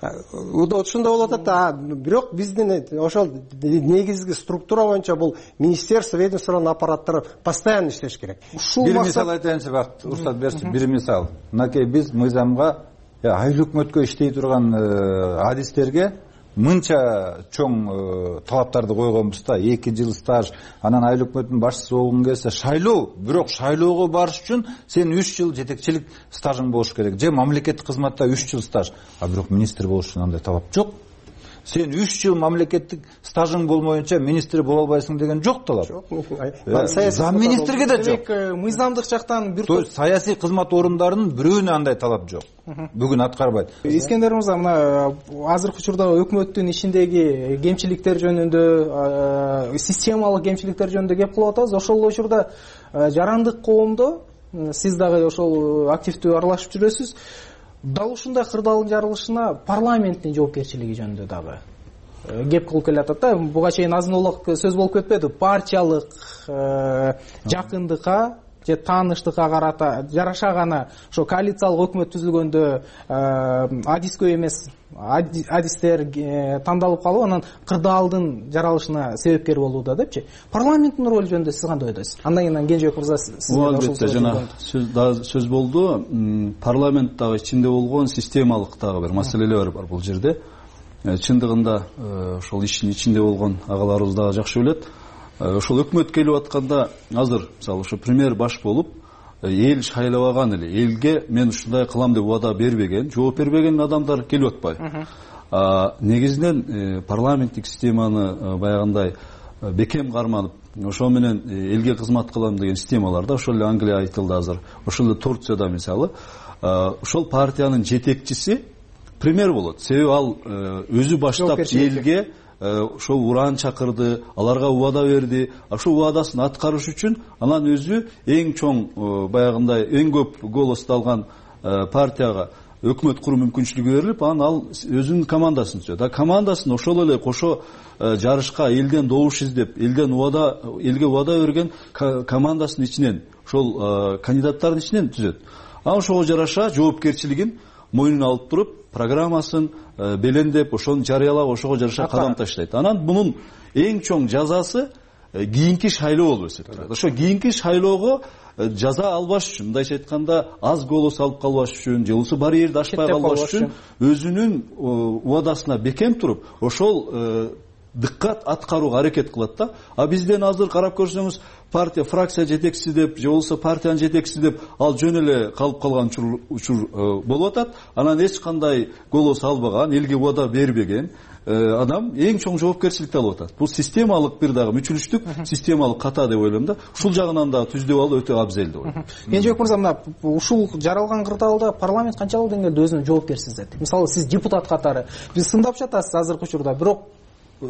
[SPEAKER 22] Ошондой болуп атат да. Бирок биздин ошол негизги структура боюнча бул министерство, ведомствонун аппараттары постоянно иштеш керек.
[SPEAKER 20] Бир мисал айтайынчы, вакыт уруксат берсин. Бир мисал. Мынакей биз мыйзамга айлык өкмөткө иштей турган адистерге мынча чоң талаптарды койгонбуз да. эки жыл стаж, анан айлык өкмөттүн башчысы болгуң келсе шайлоо, бирок шайлоого барыш үчүн сен үч жыл жетекчилик стажың болуш керек. Же мамлекеттик кызматта үч жыл стаж, а бирок министр болуш үчүн андай талап жок. Сен үч жыл мамлекеттик стажың болмоюнча министр боло албайсың деген жок талап. Зам министрге да жок.
[SPEAKER 6] Мыйзамдык жактан бир
[SPEAKER 20] топ саясий кызмат орундарынын бирөөнө андай талап жок. Бүгүн аткарбайт.
[SPEAKER 6] Искендер мырза, мына азыркы учурда өкмөттүн ишиндеги кемчиликтер жөнүндө, системалык кемчиликтер жөнүндө кеп кылып атабыз. Ошол учурда жарандык коомдо сиз дагы ошол активдүү аралашып жүрөсүз. Дал ушундай кырдаалдын жарылышына парламенттин жоопкерчилиги жөнүндө дагы кеп кылып келатат да. Буга чейин азын-аулак сөз болуп кетпеди. Партиялык жакындыкка же тааныштыкка карата жараша гана ошо коалициялык өкмөт түзүлгөндө адис көп эмес адистер тандалып калып, анан кырдаалдын жаралышына себепкер болууда депчи. Парламенттин ролу жөнүндө сиз кандай ойдойсуз? Андан кийин Кенжебек мырза сизден
[SPEAKER 21] албетте жана сөз болду. Парламент дагы ичинде болгон системалык дагы бир маселелер бар бул жерде. Чындыгында ошол иштин ичинде болгон агаларыбыз дагы жакшы билет. Ошол өкмөт келип атканда азыр мисалы ошо премьер баш болуп эл шайлабаган эле, элге мен ушундай кылам деп убада бербеген, жооп бербеген адамдар келип атпайбы. Негизинен парламенттик системаны баягындай бекем карманып, ошо менен элге кызмат кылам деген системаларда, ошол эле Англия айтылды азыр, ошол эле Турцияда мисалы, ошол партиянын жетекчиси премьер болот. Себеби ал өзү баштап элге ошол уран чакырды, аларга убада берди. Ошол убадасын аткарыш үчүн анан өзү эң чоң баягындай эң көп голосду алган партияга өкмөт куруу мүмкүнчүлүгү берилип, анан ал өзүнүн командасын түзөт. А командасын ошол эле кошо жарышка элден добуш издеп, элден убада, элге убада берген командасын ичинен, ошол кандидаттардын ичинен түзөт. Анан ошого жараша жоопкерчилигин мойнуна алып туруп, программасын белендеп, ошону жарыялап, ошого жараша кадам таштайт. Анан мунун эң чоң жазасы кийинки шайлоо болуп эсептелет. Ошо кийинки шайлоого жаза албаш үчүн, мындайча айтканда, аз голос алып калбаш үчүн, же болбосо барьерди ашпай калбаш үчүн өзүнүн убадасына бекем туруп, ошол дыккат аткарууга аракет кылат да. А бизден азыр карап көрсөңүз, партия фракция жетекчиси деп, же болбосо партиянын жетекчиси деп ал жөн эле калып калган учур болуп атат. Анан эч кандай голос албаган, элге убада бербеген адам эң чоң жоопкерчиликти алып атат. Бул системалык бир дагы мүчүлүштүк, системалык ката деп ойлойм да. Ушул жагынан дагы түздөп алуу өтө абзел деп ойлойм.
[SPEAKER 6] Кенжебек мырза, мына ушул жаралган кырдаалда парламент канчалык деңгээлде өзүнүн жоопкерчилигин сезет? Мисалы, сиз депутат катары, биз сындап жатасыз азыркы учурда, бирок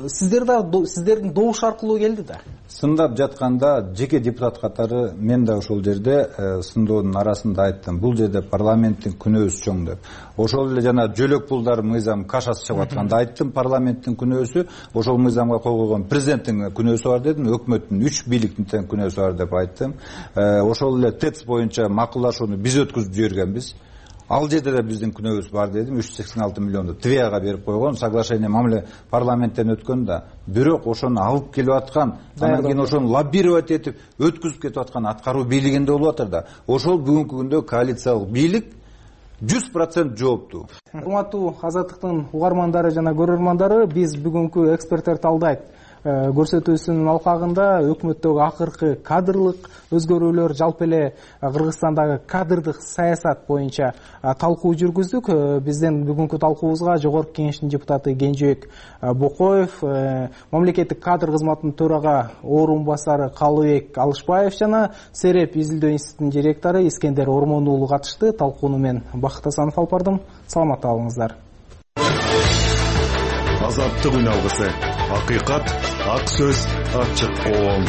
[SPEAKER 6] сиздер да сиздердин добуш аркылуу келди да.
[SPEAKER 20] Сындап жатканда жеке депутат катары мен да ошол жерде сындоодун арасында айттым, бул жерде парламенттин күнөөсү чоң деп. Ошол эле жана жөлөк пулдар мыйзам кашасы чыгып атканда айттым, парламенттин күнөөсү ошол мыйзамга кол койгон президенттин күнөөсү бар дедим, өкмөттүн үч бийликтин тең күнөөсү бар деп айттым. Ошол эле ТЭЦ боюнча макулдашууну биз өткүзүп жибергенбиз. Ал жерде да биздин күнөөбүз бар дедим. үч жүз сексен алты миллионду Твияга берип койгон, соглашение мамиле парламенттен өткөн да. Бирок ошону алып келип аткан, анан кийин ошону лоббировать этип өткүзүп кетип аткан аткаруу бийлигинде болуп атыр да. Ошол бүгүнкү күндө коалициялык бийлик жүз процент жооптуу.
[SPEAKER 6] Урматтуу Азаттыктын угармандары жана көрөрмандары, биз бүгүнкү эксперттер талдайт көрсөтүүсүнүн алкагында өкмөттөгү акыркы кадрлык өзгөрүүлөр, жалпы эле Кыргызстандагы кадрдык саясат боюнча талкуу жүргүздүк. Биздин бүгүнкү талкуубузга Жогорку Кеңештин депутаты Кенжебек Бокоев, мамлекеттик кадр кызматынын төрага орун басары Калыбек Алышбаев жана Сереп изилдөө институтунун директору Искендер Ормон уулу катышты. Талкууну мен Бакыт Асанов алып бардым. Саламатта болуңуздар.
[SPEAKER 13] Азаттык үн алгысы. Акыйкат, ак сөз, ачык коом.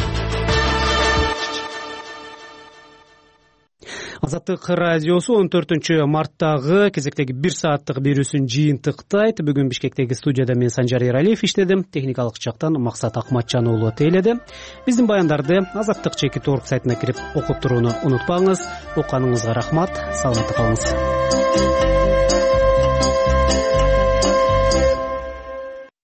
[SPEAKER 1] Азаттык радиосу он төртүнчү марттагы кезектеги бир сааттык берүүсүн жыйынтыктайт. Бүгүн Бишкектеги студияда мен Санжар Эралиев иштедим. Техникалык жактан Максат Акматжан уулу тейледи. Биздин баяндарды Азаттык чекит орг сайтына кирип окуп турууну унутпаңыз. Окуганыңызга рахмат. Саламатта калыңыз.